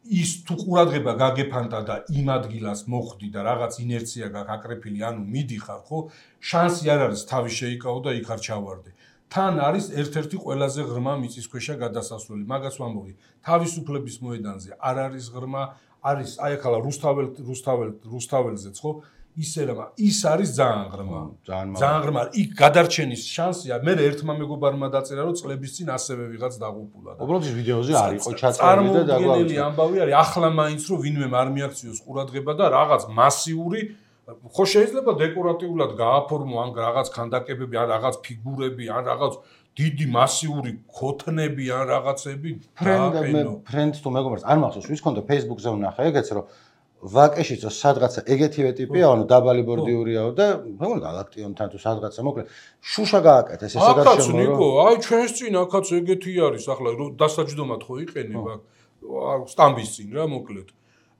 ის თუ ყურადღება გაგეფანტა და იმ ადგილას მოხვდი და რაღაც ინერცია გაკრეფილი ანუ მიდიხარ ხო შანსი არ არის თავი შეიკავო და იქ არ ჩავარდე თან არის ერთ-ერთი ყველაზე ღრმა მიწისქვეშა გადასასვლელი მაგას ვამბობდი თავისუფლების მოედანზე არ არის ღრმა არის აი ახლა რუსთაველ რუსთაველ რუსთაველზეც ხო ისე რა ის არის ძალიან ღრმა ძალიან ღრმა იქ გადარჩენის შანსია მე ერთმა მეგობარმა დაწერა რომ წლების წინ ასევე ვიღაც დაღუპულა და უბრალოდ ის ვიდეოზე არ იყო ჩაწერილი და დაგვაუწყდა ამბავი არის ახლა მაინც რომ ვინმე არ მიაქციოს ყურადღება და რაღაც მასიური ხო შეიძლება დეკორატიულად გააფორმო ან რაღაც ქანდაკებები ან რაღაც ფიგურები ან რაღაც დიდი მასიური ქოთნები ან რაღაცები დააყენო ფრენდს თუ მეგობარს არ მახსოვს ვის ქონდა Facebook-ზე ვნახე ეგეც რომ ვაკეშიც რომ სადღაცა ეგეთივე ტიპია ანუ დაბალი ბორდიურიაო და მეგონა გალაქტიონთან თუ სადღაცა მოკლედ შუშა გააკეთეს ესე გარშემო აკაც ნიკო აი ჩვენს წინ აკაც ეგეთი არის ახლა დასაჯდომად ხო იყენება სტამბის წინ რა მოკლედ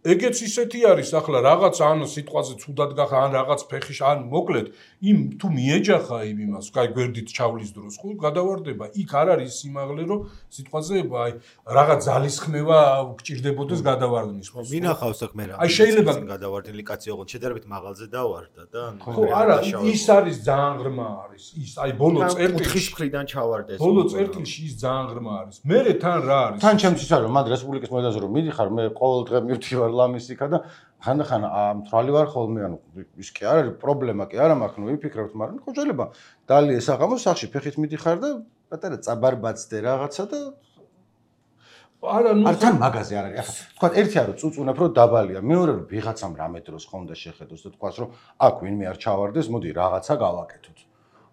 ეგეც ისეთი არის ახლა რაღაც ან სიტყვაზე ცუდად გახა ან რაღაც ფეხიშ ან მოკლედ იმ თუ მიეჯახა იმ იმას კაი გვერდით ჩავლის დროს ხო გადავარდება იქ არ არის სიმაღლე რომ სიტყვაზე აი რაღაც ძალისხმევა გჭირდებოდეს გადავარდნის ხო მინახავს აქ მე რა აი შეიძლება გადავარდნილი კაცი ოღონდ შედარებით მაღალზე დავარდა და ხო არა ის არის ძალიან ღრმა არის ის აი ბოლო წერტილში კუთხის მხრიდან ჩავარდა ეს ბოლო წერტილში ის ძალიან ღრმა არის მერე თან რა არის თან ჩემს ის არის რომ მან რესპუბლიკის მოედანზე რომ მიდიხარ მე ყოველ დღე მივდივარ ლამისიკა და ხანდახან მთვალი ვარ ხოლმე ანუ ის კი არ არის პრობლემა კი არა მაქვს ნუ ვიფიქრებთ მაგრამ ხო შეიძლება დალი ესაღამოს სახში ფეხით მიდიხარ და პატარა წაბარბაცდე რაღაცა და არა ნუ არ თან მაგაზე არ არის ახლა თქვა ერთია რომ წუწუნებ რომ დაბალია მეორე რომ ვიღაცამ რამე დროს ხონდა შეხედოს და თქვას რომ აქ ვინმე არ ჩავარდეს მოდი რაღაცა გავაკეთოთ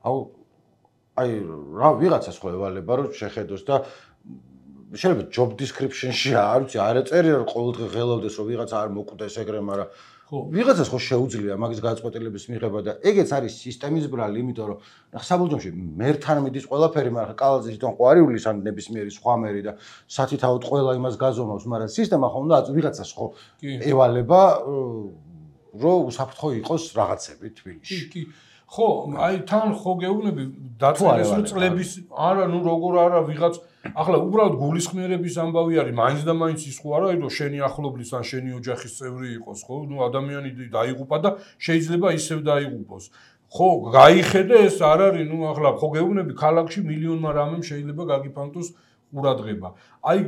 აუ აი რა ვიღაცას ხო ევალება რომ შეხედოს და შეიძლება job description-ში არ ვიცი არ ეწერია რომ ყოველდღე ღელავდეს რომ ვიღაცა არ მოკვდეს ეგრე მაგრამ ხო ვიღაცას ხო შეუძლია მაგის გადაწყვეტილების მიღება და ეგეც არის სისტემის ბრალი იმიტომ რომ საბოლოოში მერთან მიდის ყველაფერი მაგრამ კალაძე თვითონ ხო არ იulis ან ნებისმიერი სხვა მერი და სათითაოდ ყველა იმას გაზომავს მაგრამ სისტემა ხო უნდა ვიღაცას ხო ევალება რომ უსაფრთხო იყოს რაღაცები თბილისში კი ხო აი თან ხო გეუბნები დაწერეს რომ წლების არა ნუ როგორ არა ვიღაც ახლა უბრალოდ გულისხმიერების ამბავი არის მაინც და მაინც ის ხო არა რომ შენი ახლობლის ან შენი ოჯახის წევრი იყოს ხო ნუ ადამიანი დაიღუპა და შეიძლება ისევ დაიღუპოს ხო გაიხედე ეს არ არის ნუ ახლა ხო გეუბნები ქალაქში მილიონმა რამემ შეიძლება გაგიფანტოს ყურადღება აი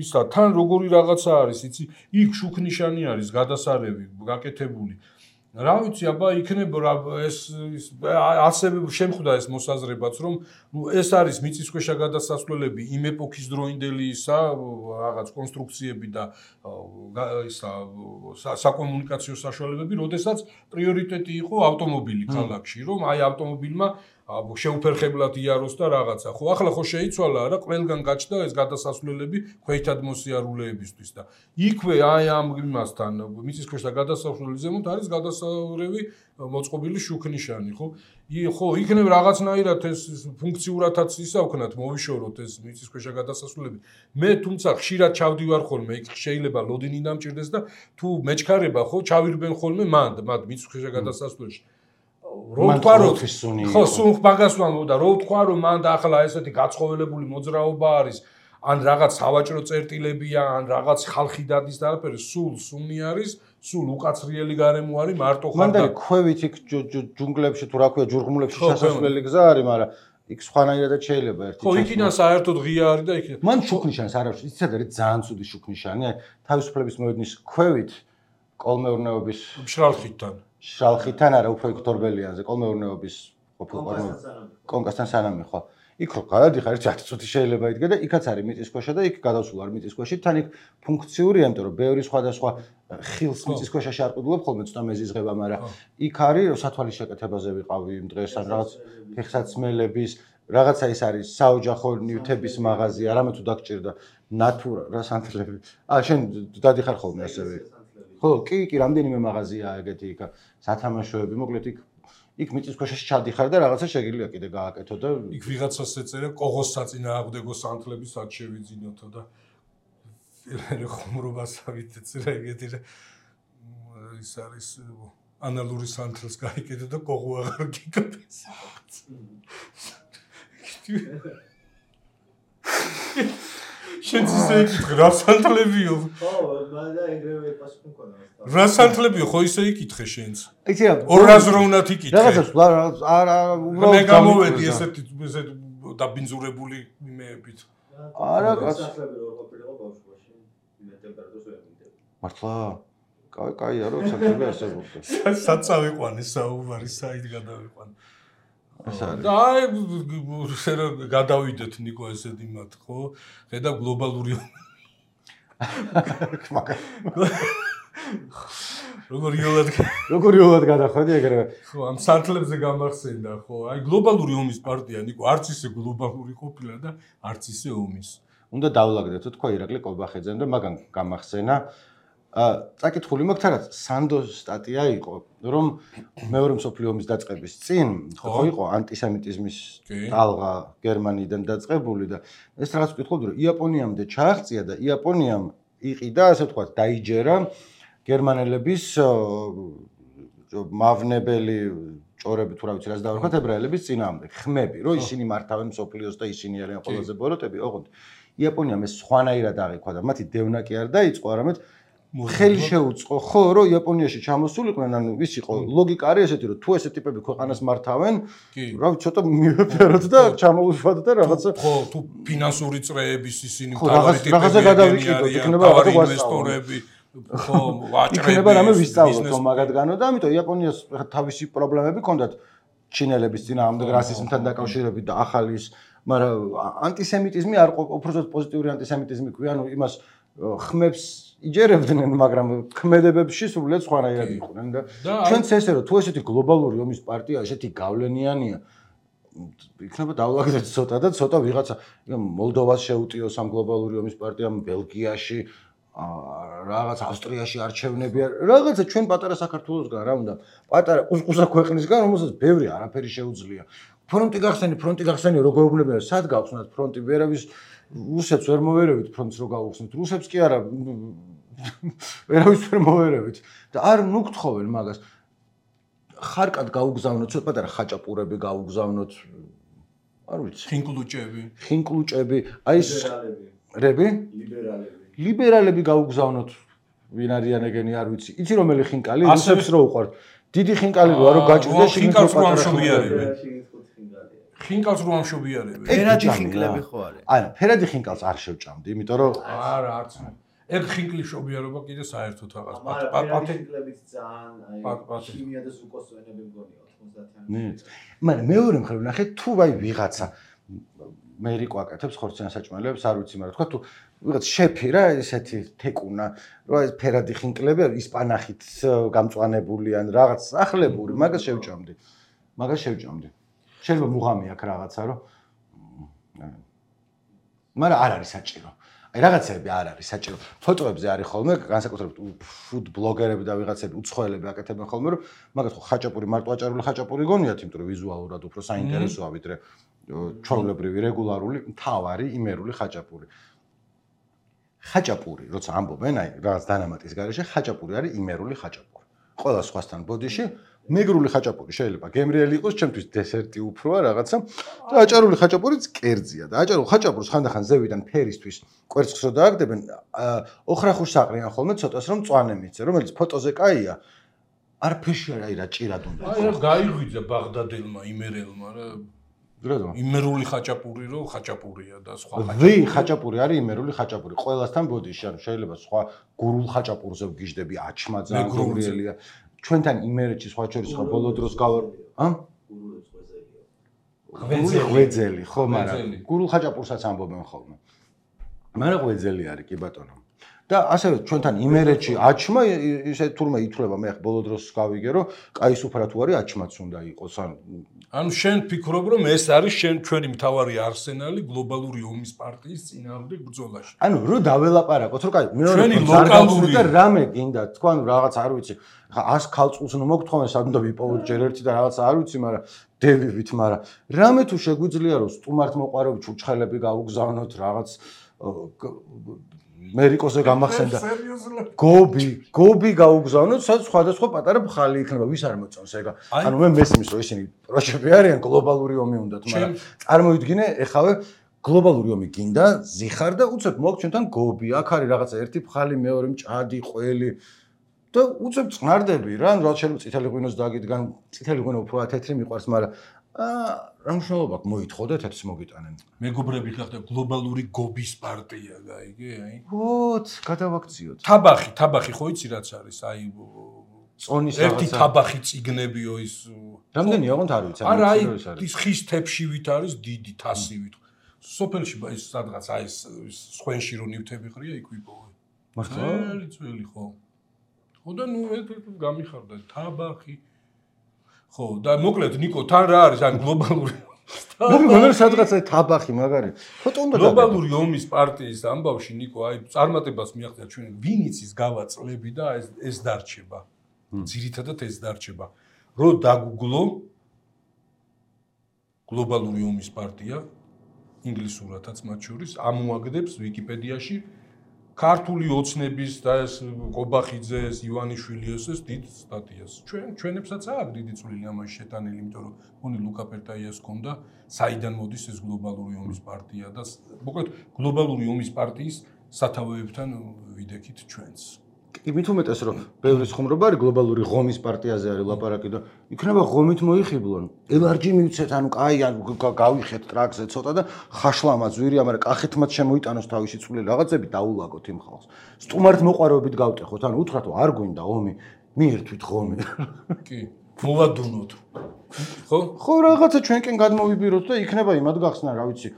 ისა თან როგორი რაღაცა არის იცი იქ შუქნიშანი არის გადასარევი გაკეთებული რა ვიცი აბა იქნება რა ეს ასევე შემხვდა ეს მოსაზრებაც რომ ეს არის მიწისქვეშა გადასასვლელები იმ ეპოქის დროინდელი ისა რაღაც კონსტრუქციები და ისა საკომუნიკაციო საშუალებები როდესაც პრიორიტეტი იყო ავტომობილი ქალაქში რომ აი ავტომობილმა შეუფერხებლად იაროს და რაღაცა ხო ახლა ხო შეიცვალა რა ყველგან გაჩნდა ეს გადასასვლელები ქვეითად მოსიარულეებისთვის და იქვე აი ამ იმასთან მიწისქვეშა გადასასვლელის ზემოთ არის გადასარევი მოწყობილი შუქნიშანი ხო ხო იქნებ რაღაცნაირად ეს ფუნქციურადაც ისა ვქნათ მოვიშოროთ ეს მიწისქვეშა გადასასვლელები მე თუმცა ხშირად ჩავდივარ ხოლმე იქ შეიძლება ლოდინი დამჭირდეს და თუ მეჩქარება ხო ჩავირბენ ხოლმე მანდ მანდ მიწისქვეშა გადასასვლელში რო თქვა რომ ხო სულ მაგას ვამბობ და რო თქვა რომ მან და ახლა ესეთი გაცხოველებული მოძრაობა არის ან რაღაც სავაჭრო წერტილებია ან რაღაც ხალხი დადის და არაფერი სულ სუნი არის სულ უკაცრიელი გარემო არის მარტო ხარ და მან და ქვევით იქ ჯუნგლებში თუ რა ქვია ჯურღმულებში შესასვლელი გზა არის მაგრამ იქ სხვანაირადაც შეიძლება ერთი ხო იქიდან საერთოდ ღია არის და იქ მან შუქნიშანს არ აქვს იცით არის ძალიან ცუდი შუქნიშანი აი თავისუფლების მოედნის ქვევით კოლმეურნეობის მშრალხიდან შალხითან არა უფრო იქ თორბელიანზე კოლმეურნეობის ყოფილ კონკასთან სანამი ხო იქ რო გადადიხარ ერთი ათი წუთი შეიძლება იდგა და იქაც არის მიწისქვეშა და იქ გადავსულ არ მიწისქვეშა თან იქ ფუნქციურია იმიტომ რომ ბევრი სხვადასხვა ხილს მიწისქვეშაში არ ყიდულობ ხოლმე ცოტა მეზიზღება მაგრამ იქ არის რომ სათვალის შეკეთებაზე ვიყავი იმ დღეს ან რაღაც ფეხსაცმელების რაღაცა ის არის საოჯახო ნივთების მაღაზია არამედ თუ დაგჭირდა ნატურა რა სანთლები აა შენ დადიხარ ხოლმე ასევე ხო კი კი რამდენიმე მაღაზიაა ეგეთი იქ სათამაშოები მოკლედ იქ იქ მიწისქვეშაში ჩადიხარ და რაღაცა შეგიძლია კიდე გააკეთო და იქ ვიღაცას ეწერა კოღოს საწინააღმდეგო სანთლები სად შევიძინოთო და ხუმრობასავით ეწერა ეგეთი ის არის ანალური სანთლს გაიკეთე და კოღო აღარ გიგდეს შენ ისე იკითხე რა სანთლებიო ხო მაგრამ ეგრევე პასუხი მქონდა რა სანთლებიო ხო ისე იკითხე შენც იცი რა ორაზროვნად იკითხე რაღაცას არ უბრალოდ მე გამოვედი ესეთი ესეთ დაბინძურებული იმეებით არა კაც სანთლები რო ყოფილიყო ბავშვობაში მე ტემპერატურას ვერ მიდები მართლა? კაი, კაია, რომ საქმე არსებობდა. სად წავიყვანე საუბარი, საით გადავიყვანე. ეს არის. და აი გადავიდეთ ნიკო ესეთი მათ, ხო? ხედავ გლობალური როგორ იოლად როგორ იოლად გადახვედი ეგრევე. ხო, ამ სანთლებზე გამახსენდა, ხო? აი გლობალური ომის პარტია ნიკო არც ისე გლობალური ყოფილა და არც ისე ომის. უნდა დავლაგდეთო თქვა ირაკლი კობახეძემ და მაგან გამახსენა აა წაკითხული მაქვს რაღაც სანდოს სტატია იყო რომ მეორე მსოფლიო ომის დაწყების წინ ხო იყო ანტისემიტიზმის ტალღა გერმანიიდან დაწყებული და ეს რაღაც ვკითხულობდი რომ იაპონიამდე ჩააღწია და იაპონიამ იყიდა ასე ვთქვათ დაიჯერა გერმანელების მავნებელი ჭორები თუ რა ვიცი რაც დავარქვათ ებრაელების წინააღმდეგ ხმები რომ ისინი მართავენ მსოფლიოს და ისინი არიან ყველაზე ბოროტები ოღონდ იაპონიამ ეს სხვანაირად აღიქვა და მათი დევნა კი არ დაიწყო არამედ ხელი შეუწყო ხო რომ იაპონიაში ჩამოსულიყვნენ ანუ ის იყო ლოგიკა არის ესეთი რომ თუ ესეთი ტიპები ქვეყანას მართავენ რა ვიცი ცოტა მივეფეროთ და ჩამოუშვათ და რაღაცა ხო თუ ფინანსური წრეების ისინი მთავარი ტიპები რაღაცა გადავიკიდოთ იქნება რაღაცა ინვესტორები ხო ვაჭრები იქნება რამე ვისწავლოთ რომ მაგადგანო და ამიტომ იაპონიას თავისი პრობლემები ჰქონდათ ჩინელების წინააღმდეგ რასიზმთან დაკავშირებით და ახალი ის მაგრამ ანტისემიტიზმი არ უბრალოდ პოზიტიური ანტისემიტიზმი ქვია ანუ იმას ხმებს იჯერებდნენ მაგრამ ქმედებებში სრულიად სხვანაირად იყვნენ და ჩვენც ესე რომ თუ ესეთი გლობალური ომის პარტია ესეთი გავლენიანია იქნება დავლაგდეთ ცოტა და ცოტა ვიღაცა მოლდოვას შეუტიოს ამ გლობალური ომის პარტიამ ბელგიაში რაღაც ავსტრიაში არჩევნები რაღაცა ჩვენ პატარა საქართველოსგან რა უნდა პატარა ყუსყუსა ქვეყნისგან რომელსაც ბევრი არაფერი შეუძლია ფრონტი გახსენი ფრონტი გახსენი რო გვეუბნებიან სად გავხსნათ ფრონტი ვერავის რუსებს ვერ მოვერევით ფრონტს რო გავხსნით რუსებს კი არა ვერავის ვერ მოვერევით და არ ნუგთხოვენ მაგას ხარკად გაუგზავნოთ ცოტა პატარა ხაჭაპურები გაუგზავნოთ არ ვიცი ხინკლუჭები ხინკლუჭები აი ეს რები ლიბერალები ლიბერალები გაუგზავნოთ ვინ არიან ეგენი არ ვიცი იცი რომელი ხინკალი რუსებს რო უყვართ დიდი ხინკალი რო არო გაჭირდა ხინკალს რო ამშობიარებენ ხინკალს რო ამშობიარებენ ფერადი ხინკლები ხო არის არა ფერადი ხინკალს არ შევჭამდი იმიტომ რომ არა არც ეგ ხინკლის შობიარობა კიდე საერთოდ რაღაც პატე ხინკლებით ძალიან აი ქიმია და ზუკოსვენები მგონია ოცდაათი ნიც მაგრამ მეორე მხრივ ნახე თუ ვაი ვიღაცა მე რიკო აკეთებს ხორციან საჭმელებს არ ვიცი მაგრამ თქვა თუ ვიღაც შეფი რა ესეთი თეკუნა რა ეს ფერადი ხინკლები ისპანახით გამწვანებული ან რაღაც ახლებური მაგას შევჭამდი მაგას შევჭამდი შეიძლება მუღამი აქვს რაღაცა რომ მაგრამ არ არის საჭირო აი რაღაცები არ არის საჭირო ფოტოებზე არის ხოლმე განსაკუთრებით ფუდ ბლოგერები და ვიღაცები უცხოელები აკეთებენ ხოლმე რომ მაგას ხო ხაჭაპური მარტო აჭარული ხაჭაპური გონიათ იმიტომ რომ ვიზუალურად უფრო საინტერესოა ვიდრე ჩვეულებრივი რეგულარული მთავარი იმერული ხაჭაპური ხაჭაპური როცა ამბობენ აი რაღაც დანამატის გარეშე ხაჭაპური არის იმერული ხაჭაპური ყველა სხვასთან ბოდიში მეგრული ხაჭაპური შეიძლება გემრიელი იყოს ჩემთვის დესერტი უფროა რაღაცა და აჭარული ხაჭაპურიც კერძია და აჭარულ ხაჭაპურს ხანდახან ზევიდან ფერისთვის კვერცხს რო დააგდებენ ოხრახუშს აყრიან ხოლმე ცოტას რომ მწვანე მიცე რომელიც ფოტოზე კაია არ ფეში არა აი რა ჭირად უნდა აი რა გაიღვიძა ბაღდადებმა იმერელმა რა გრადო იმერული ხაჭაპური რო ხაჭაპურია და სხვა ხაჭაპური ვი ხაჭაპური არის იმერული ხაჭაპური ყველასთან ბოდიში ანუ შეიძლება სხვა გურულ ხაჭაპურზე ვგიჟდები აჩმა ძალიან გურიელია ჩვენთან იმერეთში სხვა შორის ხო ბოლო დროს გავარ ა ღვეძელი ღვეძელი ხო მაგრამ გურულ ხაჭაპურსაც ამბობენ ხოლმე მაგრამ ღვეძელი არის კი ბატონო და ასევე ჩვენთან იმერეთში აჩმა ისე თურმე ითვლება მე ახ ბოლო დროს გავიგე რომ კაი სუფრა თუ არის აჩმაც უნდა იყოს ან ანუ შენ ფიქრობ რომ ეს არის შენ ჩვენი მთავარი არსენალი გლობალური ომის პარტიის წინააღმდეგ ბრძოლაში ანუ რო დაველაპარაკოთ რომ კაი მეორე ლოკალური და რამე გინდა თქვა ანუ რაღაც არ ვიცი ხა ას ქალწულს ნუ მოგთხოვენ სად უნდა ვიპოვოთ ჯერ ერთი და რაღაც არ ვიცი მაგრამ დევივით მაგრამ რამე თუ შეგვიძლია რომ სტუმართ მოყარებით უჩხელები გაუგზავნოთ რაღაც მერიკოზე გამახსენდა გობი გობი გაუგზავნოთ სადაც სხვადასხვა პატარა ბხალი იქნება ვის არ მოწონს ეგა ანუ მე მესმის რომ ისინი პროჟექტები არიან გლობალური ომი უნდათ მაგრამ წარმოიდგინე ეხავე გლობალური ომი გინდა ზიხარ და უცებ მოგჩენთან გობი აქ არის რაღაცა ერთი ბხალი მეორე მჭადი ყველი და უცებ წნარდები რა ანუ რა შეიძლება წითელი ღვინოს დაგიდგან წითელი ღვინო უფრო თეთრი მიყვარს მაგრამ აა რა მნიშვნელობა აქვს მოითხოვდეთ ეთს მოგიტანენ. მეგობრები ხახდა გლობალური გობის პარტია გაიგე, აი. ვოთ, გადავაქციოთ. თაბახი, თაბახი ხო იცი რაც არის, აი წონის ერთი თაბახი ციგნებიო ის. რამდენია ოღონდ არ ვიცი, არა, აი ის ხის თეფშივით არის დიდი თასივით. სოფელში ის სადღაც აი ეს სხვენში რო ნივთები ყრია, იქ ვიპოვე. მართლა? ძველი ძველი ხო. ხო და ნუ გამიხარდა თაბახი. ხო, და მოკლედ ნიკო, თან რა არის ან გლობალური მოგონა სადღაც აი თაბახი მაგარი. ფოტო უნდა გლობალური ომის პარტიის ამბავში ნიკო, აი წარმატებას მიაღწია ჩვენ ვინიც ის გავაწლები და ეს ეს დარჩება. ძირითადად ეს დარჩება. რო დაგუგლო გლობალური ომის პარტია ინგლისურადაც მათ შორის ამოაგდებს ვიკიპედიაში ქართული ოცნების და ეს ყობახიძეს, ივანიშვილის ეს დიდ სტატიას. ჩვენ ჩვენებსაც აქვს დიდი წვლილი ამაში შეტანილი, იმიტომ რომ მონი ლუკა პერტაიას ჰქონდა, საიდან მოდის ეს გლობალური ომის პარტია და მოკლედ გლობალური ომის პარტიის სათავეებთან ვიდექით ჩვენს. იმით უმეტეს რომ ბევრი ხუმრობა არის გლობალური ღომის პარტიაზე არის ლაპარაკი და იქნება ღომით მოიხიბლონ. ელარჯი მივცეთ, ანუ კაი გავიხეთ ტრაქზე ცოტა და ხაშლამაც ვირია, მაგრამ კახეთმაც შემოიტანოს თავისი წვლილი რაღაცები დაულაგოთ იმ ხალხს. სტუმართ მოყარებით გავტეხოთ, ანუ უთხრათ რომ არ გვინდა ომი, მიერთვით ღომი. კი, მოვადუნოთ. ხო? ხო, რაღაცა ჩვენკენ გადმოვიბიროთ და იქნება იმად გახსნა, რა ვიცი.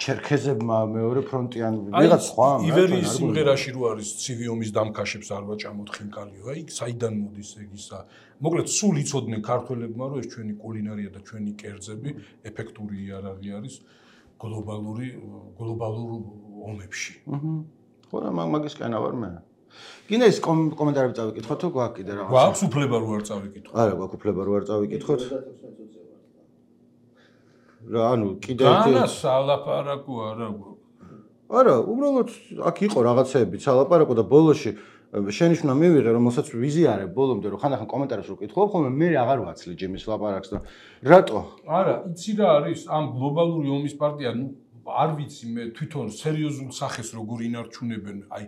ჩერქეზებმა მეორე ფრონტიან ვიღაც სხვა ივერიის სიმღერაში რო არის ცივი ომის დამქაშებს არ ვაჭამოთ ხინკალიო, აი საიდან მოდის ეგ ისა. მოკლედ სულ იცოდნენ ქართველებმა რომ ეს ჩვენი კულინარია და ჩვენი კერძები ეფექტური იარაღი არის გლობალური გლობალურ ომებში. აჰა. ხო რა მაგისკენ ავარ მე. გინდა ის კომენტარები წავიკითხოთ თუ გვაქვს კიდე რაღაც? გვაქვს უფლება რო არ წავიკითხოთ. არა, გვაქვს უფლება რო არ წავიკითხოთ. რა ანუ კიდე განა სალაპარაკო არა არა უბრალოდ აქ იყო რაღაცეები სალაპარაკო და ბოლოში შენიშვნა მივიღე რომელსაც ვიზიარებ ბოლომდე რომ ხანდახან კომენტარებს რო კითხულობ ხოლმე მე აღარ ვაცლი ჯიმის ლაპარაკს და რატო არა იცი რა არის ამ გლობალური ომის პარტია ნუ არ ვიცი მე თვითონ სერიოზულ სახეს როგორ ინარჩუნებენ აი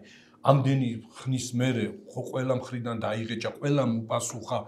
ამდენი ხნის მერე ხო ყველა მხრიდან დაიღეჭა ყველა მოპასუხა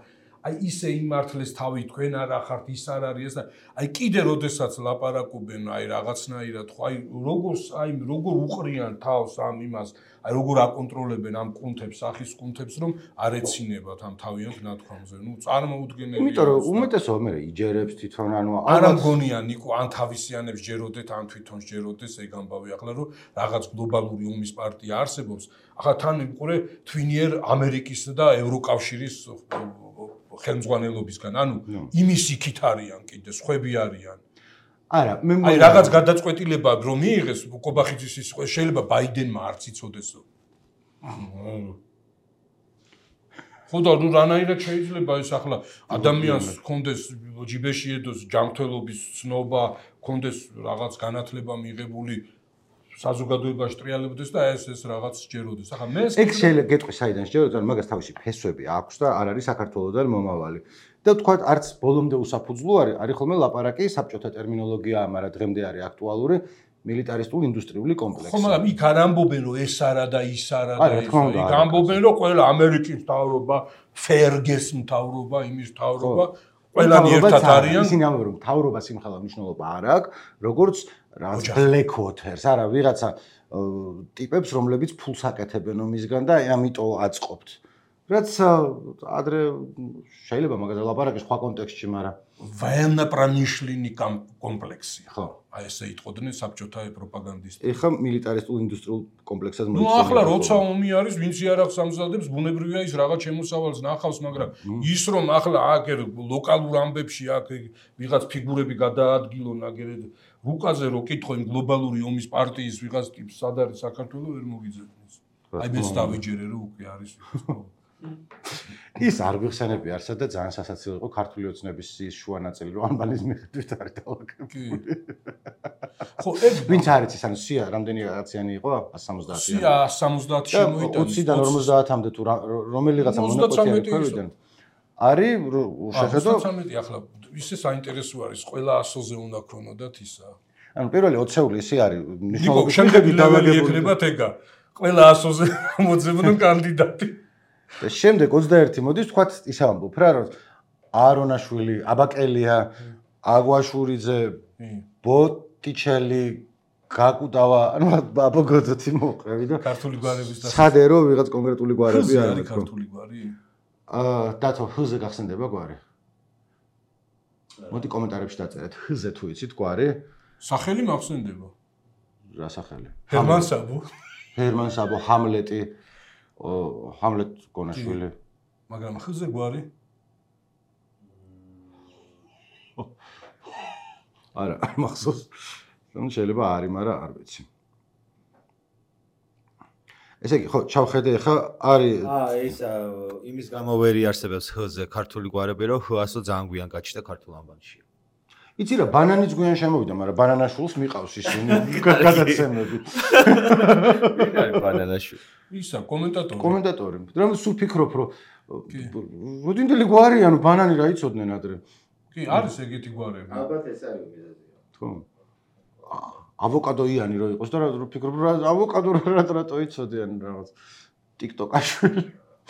აი ისე იმართლეს თავი თქვენ არ ახართ ის არ არის და აი კიდე როდესაც ლაპარაკობენ აი რაღაცნაირად ხო აი როგორ აი როგორ უყრიან თავს ამ იმას აი როგორ აკონტროლებენ ამ კუნთებს სახის კუნთებს რომ არ ეცინებათ ამ თავიანთ ნათქვამზე ნუ წარმოუდგენელია იმიტომ რომ უმეტესობა მე იჯერებს თვითონ ანუ არა მგონია ნიკო ან თავისიანებს ჯეროდეთ ან თვითონ ჯეროდეს ეგ ამბავი ახლა რომ რაღაც გლობალური ომის პარტია არსებობს ახლა თან იყურე თვინიერ ამერიკის და ევროკავშირის ხელმძღვანელობისგან, ანუ იმის იქით არიან კიდე, სხვები არიან. არა, მე მგონია აი რაღაც გადაწყვეტილება რომ მიიღეს ყობახიძის ის შეიძლება ბაიდენმა არც იცოდესო. ხო და ნუ რანაირად შეიძლება ეს ახლა ადამიანს კონდეს ჯიბეში ედოს ჯანმრთელობის ცნობა, კონდეს რაღაც განათლება მიღებული საზოგადოებაში ტრიალებდეს და ეს ეს რაღაც სჯეროდეს. ახლა მე ეგ შეიძლება გეტყვი საიდან სჯეროდეს, ანუ მაგას თავისი ფესვები აქვს და არ არის საქართველოსთან მომავალი. და თქვა არც ბოლომდე უსაფუძვლო არის, არის ხოლმე ლაპარაკი საბჭოთა ტერმინოლოგია, მაგრამ დღემდე არის აქტუალური მილიტარისტულ ინდუსტრიული კომპლექსი. ხო, მაგრამ იქ არ ამბობენ რომ ეს არა და ის არა და ეს. იქ ამბობენ რომ ყველა ამერიკის მთავრობა, ფერგეს მთავრობა, იმის მთავრობა ყველანი ერთად არიან. ისინი ამბობენ რომ მთავრობა სიმხელა მნიშვნელობა არ აქვს, როგორც რაც black waters, არა, ვიღაცა ტიპებს, რომლებიც ფულს აკეთებენ ომისგან და ამიტომ აწყობთ. რაც ადრე შეიძლება მაგაზე ლაპარაკი სხვა კონტექსტში, მაგრამ военно-промышленный კომპლექსი. ხო. აი ესე იტყოდნენ საბჭოთა პროპაგანდისტები. ეხა მილიტარისტულ ინდუსტრიულ კომპლექსად მოიცემენ. ნუ ახლა როცა ომი არის, ვინც იარაღს ამზადებს, ბუნებრივია ის რაღაც შემოსავალს ნახავს, მაგრამ ის რომ ახლა აქ ლოკალურ ამბებში აქ ვიღაც ფიგურები გადაადგილონ აგერეთ რუკაზე რო კითხო იმ გლობალური ომის პარტიის ვიღაც ტიპს სად არის საქართველოს ვერ მოგიძებნის. აი მეც დავიჯერე რომ უკვე არის ის არ გვიხსენებია არსად და ძალიან სასაცილო იყო ქართული ოცნების ის შუა ნაწილი რომ ანბალის მიხედვით არის დალაგებული. ხო, ეგ ვინც არის ის ანუ სია რამდენი რაღაციანი იყო one seventy-ათი. სია one seventy-ათი შემოიტანეს. ოცდან ორმოცდაათამდე თუ რომელიღაცა მონოპოლია ქვევიდან. არის შეხედო ოცდამეტი ახლა ისე საინტერესო არის ყველა ასოზე უნდა ქონოდათ ისა. ანუ პირველი ოცეული ისე არის მნიშვნელობის შემდეგი ლეველი ექნებათ ეგა. ყველა ასოზე მოძებნო კანდიდატი. და შემდეგ ოცდაერთი მოდის თქვათ ისე ამბობ რა რომ აარონაშვილი, აბაკელია, აგვაშურიძე ბოტიჩელი გაკუტავა ანუ აბოგოდოთი მოყევი და ქართული გვარების და ხადე რომ ვიღაც კონკრეტული გვარები არის ქართული გვარი აა დათო ჰზე გახსენდება გვარი მოდი კომენტარებში დაწერეთ ჰზე თუ იცით გვარი სახელი მახსენდება რა სახელი ჰერმან საბო ჰერმან საბო ჰამლეტი ჰამლეტ გონაშვილი მაგრამ ჰზე გვარი არა მახსოვს რომ შეიძლება არის მაგრამ არ ვიცი ესე იგი ხო ჩავხედე ხა არის აა ეს იმის გამო ვერ იარსებებს ჰ-ზე ქართული გვარები რომ ჰ-ასო ძალიან გვიან გაჩნდა ქართულ ანბანში იცი რა ბანანიც გვიან შემოვიდა მაგრამ ბანანაშვილს მიყავს ისინი გადაცემები ვინ არის ბანანაშვილი ისა კომენტატორი კომენტატორი რომ სულ ფიქრობ რომ მოდინდელი გვარი ანუ ბანანი რა იცოდნენ ადრე კი არის ეგეთი გვარები ალბათ ეს არის მიზეზი თუ ავოკადოიანი რო იყოს და რა ფიქრობ რა ავოკადო რა რატო იცოდიან რაღაც ტიკტოკაშვილი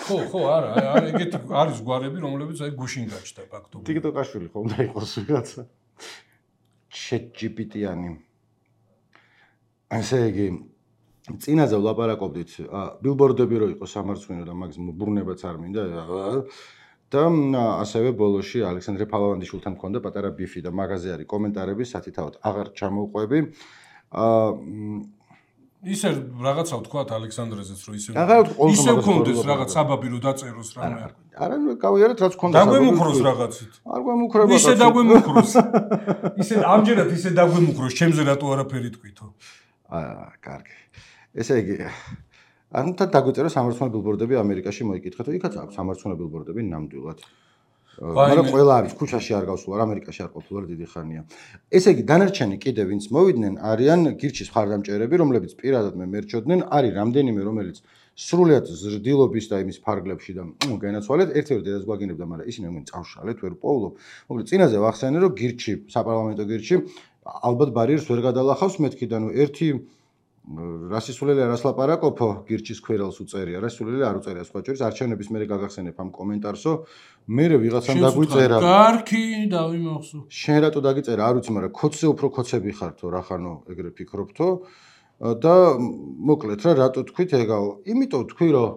ხო ხო არა არა ეგეთი არის გვარები რომლებიც აი გუშინ გაჩნდა ფაქტობრივად ტიკტოკაშვილი ხომ და იყოს ვიღაცა ChatGPT-იანი ასე იგი წინაზე ვლაპარაკობდით ბილბორდები რო იყოს სამარცხვინო და მაგის ბრუნებაც არ მინდა და ასევე ბოლოში ალექსანდრე ფალავანდიშვილთან მქონდა პატარა ბიფი და მაგაზე არის კომენტარები სათითაოდ აღარ ჩამოვყვები აა ისე რაღაცა ვთქვათ ალექსანდრეზეც რომ ისე ისე ვქონდეს რაღაც საბაბი რომ დაწეროს რამე არა ნუ გავიარეთ რაც ქონდა დაგვემუქროს რაღაცით არ გვემუქრება ისე დაგვემუქროს ისე ამჯერად ისე დაგვემუქროს ჩემზე რატო არაფერი თქვითო აა კარგი ესე იგი ანუ თან დაგვიწერა სამარცხვინო ბილბორდები ამერიკაში მოიკითხეთ იქაც აქვს სამარცხვინო ბილბორდები ნამდვილად მაგრამ ყველა არის ქუჩაში არ გავსულა ამერიკაში არ ყოფილა დიდი ხანია ესე იგი დანარჩენი კიდე ვინც მოვიდნენ არიან გირჩის მხარდამჭერები რომლებიც პირადად მე მერჩოდნენ არის რამდენიმე რომელიც სრულიად ზრდილობის და იმის ფარგლებში და განაცვალეთ ერთ-ერთი დედას გვაგინებდა მაგრამ ისინი მე წავშალეთ ვერ პოულობ მოკლედ წინაზე ვახსენე რომ გირჩი საპარლამენტო გირჩი ალბათ ბარიერს ვერ გადალახავს მეთქი და ნუ ერთი რასისულელი არას ლაპარაკობო გირჩის ქვერელს უწერია რასისულელი არ უწერია სხვა შორის არჩევნების მერე გაგახსენებ ამ კომენტარსო მერე ვიღაცამ დაგვიწერა კარგი დავიმახსოვ შენ რატო დაგიწერა არ ვიცი მაგრამ ქოცზე უფრო ქოცები ხართო რა ხანო ეგრე ფიქრობთო და მოკლედ რა რატო თქვით ეგაო იმიტომ თქვი რომ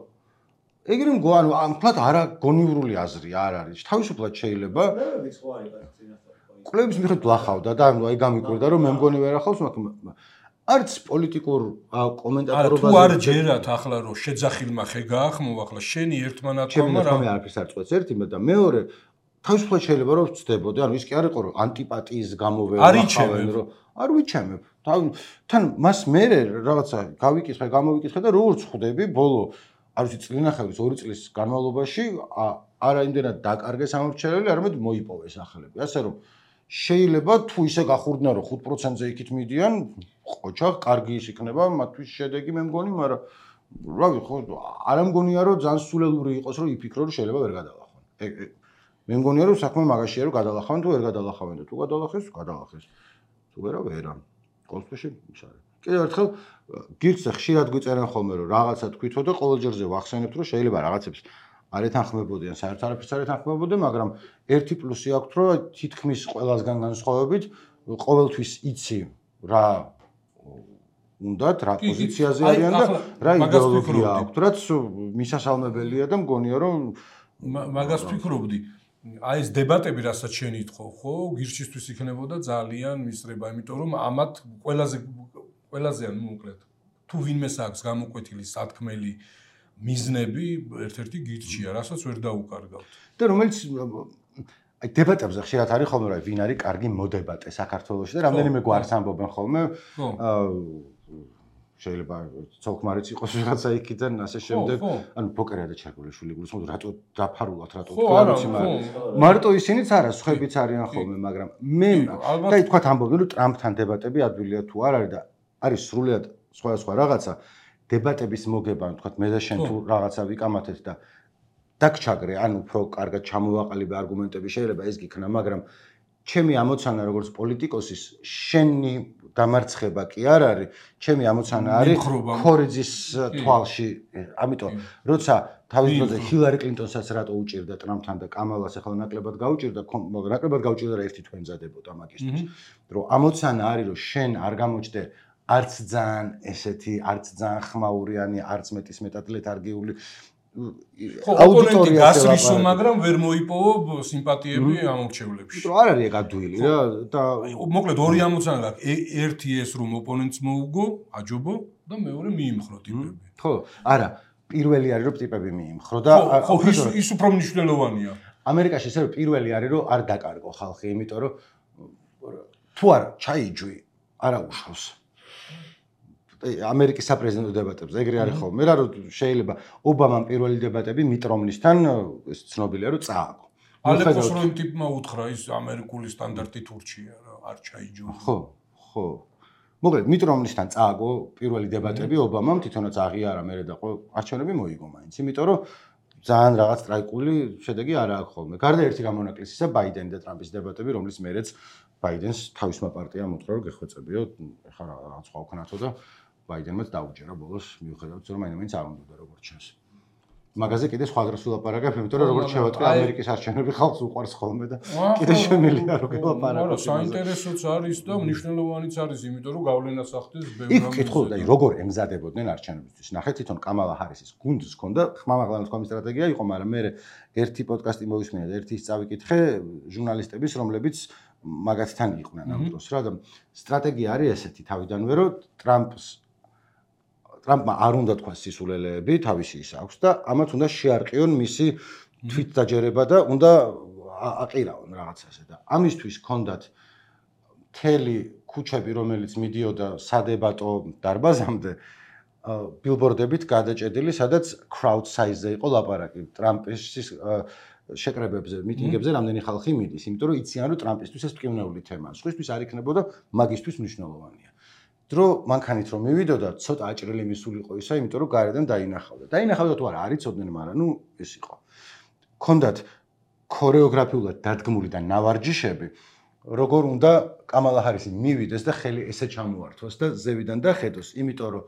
ეგრე მგო ანუ ამფლად არა გონივრული აზრი არ არის თავისუფლად შეიძლება კვლევების ხო არის წინასწარ კვლევების მიხედვით ვლახავდა და ანუ აი გამიკვირდა რომ მე მგონი ვერ ახავს მაგრამ არც პოლიტიკურ კომენტატორობაზე თუ არ ჯერათ ახლა რომ შეძახილმა ხე გაახმო ახლა შენი ერთმანათმა რა მე არაფერს არ წყვეტს ერთი და მეორე თავისუფლად შეიძლება რომ ვწდებოდე ანუ ის კი არ იყო რომ ანტიპატიის გამო ვერ ვახავენ რომ არ ვიჩემებ თან მას მე რაღაცა გავიკითხე გამოვიკითხე და როგორც ხვდები ბოლო არ ვიცი წლინახევრის ორი წლის განმავლობაში არა იმდენად დაკარგეს ამორჩენელი არამედ მოიპოვეს ახალები ასე რომ შეიძლება თუ ისე გახურდნენ რომ ხუთ პროცენტზე იქით მიდიან ყოჩა კარგი ის იქნება მათთვის შედეგი მე მგონი მაგრამ რავი ხო არ მგონია რომ ძალიან სულელური იყოს რომ იფიქრო რომ შეიძლება ვერ გადალახონ მე მგონია რომ საქმე მაგაშია რომ გადალახავენ თუ ვერ გადალახავენ და თუ გადალახეს გადალახეს თუ ვერა ვერა კონსპეში ის არის კიდევ ერთხელ გირჩზე ხშირად გვიწერენ ხოლმე რომ რაღაცა თქვითო და ყოველ ჯერზე ვახსენებთ რომ შეიძლება რაღაცებს არ ეთანხმებოდიან საერთოდ არაფერს არ ეთანხმებოდიან მაგრამ ერთი პლუსი აქვს რომ თითქმის ყველასგან განსხვავებით ყოველთვის იცი რა უნდათ რა პოზიციაზე არიან და რა იდეოლოგია აქვს რაც მისასალმებელია და მგონია რომ მაგას ფიქრობდი აი ეს დებატები რასაც შენ ითხოვ ხო გირჩისთვის იქნებოდა ძალიან მისწრება იმიტომ რომ ამათ ყველაზე ყველაზე ანუ მოკლედ თუ ვინმეს აქვს გამოკვეთილი სათქმელი მიზნები ერთ-ერთი გირჩია, რასაც ვერ დაუკარგავთ. და რომელიც აი დებატებზე ხშირად არის ხოლმე რა ვინ არის კარგი მოდებატე საქართველოში და რამდენიმე გვარს ამბობენ ხოლმე. აა შეიძლება ცოლქმარიც იყოს ვიღაცა იქიდან ასე შემდეგ. ანუ ბოკერია და ჩარგოლიშვილი გულისხმობ რატო დაფარულათ რატო თქვენიცი მაგრამ მარტო ისინიც არა, სხვაებიც არიან ხოლმე, მაგრამ მე და თქვა ამბობენ რომ ტრამპთან დებატები ადვილია თუ არ არის და არის სრულიად სხვა სხვა რაღაცა. დებატების მოგება, თქვათ, მე და შენ თუ რაღაცა ვიკამათეთ და დაგჩაგრე, ან უფრო კარგად ჩამოვაყალიბე არგუმენტები, შეიძლება ეს გიქნა, მაგრამ ჩემი ამოცანა როგორც პოლიტიკოსის, შენი დამარცხება კი არ არის, ჩემი ამოცანა არის ქორიძის თვალში, ამიტომ, როცა თავის დროზე ჰილარი კლინტონსაც რატო უჭირდა ტრამპთან და კამალას ახლა ნაკლებად გაუჭირდა, ნაკლებად გაუჭირდა და ერთი თვე ემზადებოდა მაგისთვის. რომ ამოცანა არის რომ შენ არ გამოჩდე არც ძალიან ესეთი, არც ძალიან ხმაურიანი, არც მეტის მეტად ლეთარგიული აუდიტორია გასრისო, მაგრამ ვერ მოიპოვო სიმპათიები ამორჩევლებში. იმიტომ არ არის ეგ ადვილი რა და მოკლედ ორი ამოცანა გაქვს. ერთი ეს რომ ოპონენტს მოუგო, აჯობო და მეორე მიიმხრო ტიპები. ხო, არა, პირველი არის რომ ტიპები მიიმხრო და ხო, ის ის უფრო მნიშვნელოვანია. ამერიკაში ესე რომ პირველი არის რომ არ დაკარგო ხალხი, იმიტომ რომ თუ არ ჩაიჯვი, არა უშავს. ამერიკის საპრეზიდენტო დებატებზე ეგრე არის ხოლმე რა რომ შეიძლება ობამამ პირველი დებატები მიტ რომლისთან ეს ცნობილია რომ წააგო. ალეპოს რომ ტიპმა უთხრა ის ამერიკული სტანდარტით ურჩია რა არ ჩაიჯო. ხო, ხო. მოკლედ მიტ რომლისთან წააგო პირველი დებატები ობამამ თვითონაც აღიარა მერე და ყო არჩევნები მოიგო მაინც. იმიტომ რომ ძალიან რაღაც ტრაიკული შედეგი არ აქვს ხოლმე. გარდა ერთი გამონაკლისისა ბაიდენი და ტრამპის დებატები რომლის მერეც ბაიდენს თავისმა პარტიამ უთხრა რომ გეხვეწებიო, ეხლა რაღაც სხვა ვქნათო და ბაიდენმაც დაუჯერა ბოლოს მიუხედავად რომ მაინც არ უნდა როგორც ჩანს. მაგაზე კიდე სხვა დროს ვილაპარაკებ, იმიტომ რომ როგორც შევატყვი ამერიკის არჩევნები ხალხს უყვარს ხოლმე და კიდე შემიძლია რომ ვილაპარაკო. არა, საინტერესოც არის და მნიშვნელოვანიც არის, იმიტომ რომ გავლენას ახდენს ბევრ იქ კითხულობ და როგორ ემზადებოდნენ არჩევნებისთვის. ნახეთ თვითონ კამალა ჰარისის გუნდს ჰქონდა ხმამაღლა თქვა სტრატეგია იყო, მაგრამ მე ერთი პოდკასტი მოვისმინე და ერთი წავიკითხე ჟურნალისტების, რომლებიც მაგათთან იყვნენ ამ დროს რა და სტრატეგია არის ესეთი თავიდანვე რომ ტრამპს ტრამპმა არ უნდა თქვა სისულელეები, თავისი ის აქვს და ამათ უნდა შეარყიონ მისი თვითდაჯერება და უნდა აყირაონ რაღაცაზე და ამისთვის ჰქონდათ მთელი ქუჩები, რომელიც მიდიოდა სადებატო დარბაზამდე, ბილბორდებით გადაჭედილი, სადაც crowd size-ზე იყო ლაპარაკი ტრამპის შეკრებებზე, მიტინგებზე რამდენი ხალხი მიდის, იმიტომ რომ იციან რომ ტრამპისთვის ეს მტკივნეული თემაა. სხვისთვის არ იქნებოდა, მაგისთვის მნიშვნელოვანია. დრო მანქანით რომ მივიდოდა, ცოტა აჭრილი მისულიყო ისა, იმიტომ რომ გარედან დაინახავდა. დაინახავდა თუ არა, არ იცოდნენ, მაგრამ ნუ ეს იყო. ქონდათ ქორეოგრაფიულად დადგმული და ნავარჯიშები, როგორ უნდა კამალა ჰარისი მივიდეს და ხელი ესე ჩამოართვას და ზევიდან დახედოს, იმიტომ რომ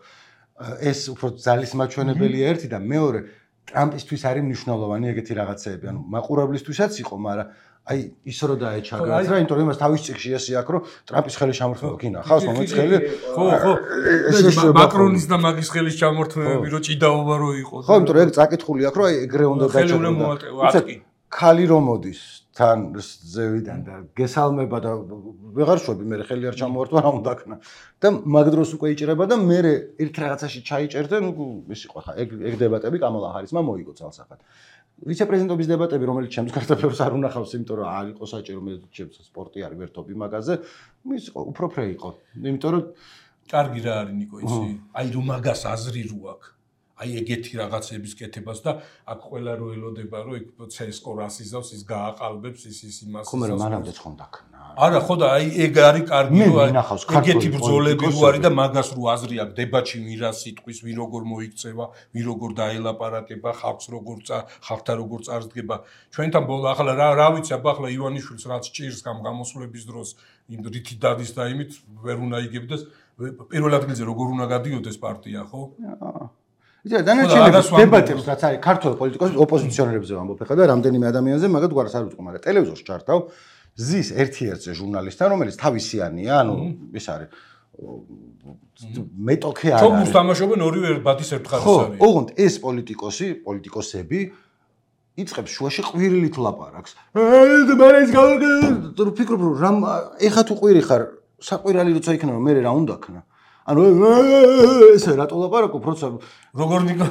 ეს უფრო ძალის მაჩვენებელია ერთი და მეორე ტრამპისთვის არის მნიშვნელოვანი ეგეთი რაღაცეები, ანუ მაყურებლისთვისაც იყო, მაგრამ აი ის რო დაეჩაგრა, რა, იმიტომ რომ იმას თავის წიგში ესე აქვს, რომ ტრამპის ხელის ჩამორთმევა გინახავს, მომეც ხელი. ხო, ხო. მაკრონის და მაგის ხელის ჩამორთმევები რო ჭიდაობა რო იყოს. ხო, იმიტომ რომ ეგ წაკითხული აქვს, რომ აი ეგრე უნდა დაჩაგრა. ხალი რომ მოდის თან ზევიდან და გესალმება და ვეღარ შვები, მე ხელი არ ჩამოვართვა, რა უნდა ქნა. და მაგ დროს უკვე იჭრება და მე ერთ რაღაცაში ჩაიჭერდა, ნუ ის იყო ხა ეგ ეგ დებატები კამალა ჰარისმა მოიგო ძალსახად. ვიცე-პრეზიდენტობის დებატები, რომელიც ჩემს კარტოფილს არ უნახავს, იმიტომ რომ არ იყო საჭირო, მე ჩემს სპორტი არის ვერთობი მაგაზე, ის იყო უფრო ფრე იყო. იმიტომ რომ კარგი რა არის ნიკო ისი, აი რომ მაგას აზრი რო აქვს. აი ეგეთი რაღაცების კეთებას და აქ ყველა რო ელოდება რომ ეგ ცესკო რასიზავს ის გააყალბებს ის ის იმას ხო მე მანამდე ხონდა ქნა არა ხო და აი ეგ არის კარგი რომ ეგეთი ბრძოლები რო არის და მაგას რო აზრი აქვს დებატში ვირა სიტყვის ვინ როგორ მოიქცევა ვინ როგორ დაელაპარაკება ხალხს როგორ ხალხთან როგორ წარსდგება ჩვენთან ბოლა ახლა რა რა ვიცი აბა ახლა ივანიშვილს რაც ჭირს გამ გამოსვლების დროს იმ რითი დადის და იმით ვერ უნდა იგებდეს პირველ ადგილზე როგორ უნდა გადიოდეს პარტია ხო იცი დანარჩენების დებატებს რაც არის ქართულ პოლიტიკოსებს ოპოზიციონერებზე ვამბობ ხა და რამდენიმე ადამიანზე მაგათ გვარს არ ვიტყვი მაგრამ ტელევიზორს ჩართავ ზის ერთ-ერთზე ჟურნალისტთან რომელიც თავისიანია ანუ ეს არის მეტოქე არის ჩოგბურს თამაშობენ ორივე ბათის ერთხარის არის ხო ოღონდ ეს პოლიტიკოსი პოლიტიკოსები იწყებს შუაში ყვირილით ლაპარაკს აი მე ის გავიგე ფიქრობ რომ რამ ეხა თუ ყვირი ხარ საყვირალი როცა იქნება მე რა უნდა ქნა ანუ ესე რატო ლაპარაკობ როცა როგორ ნიკო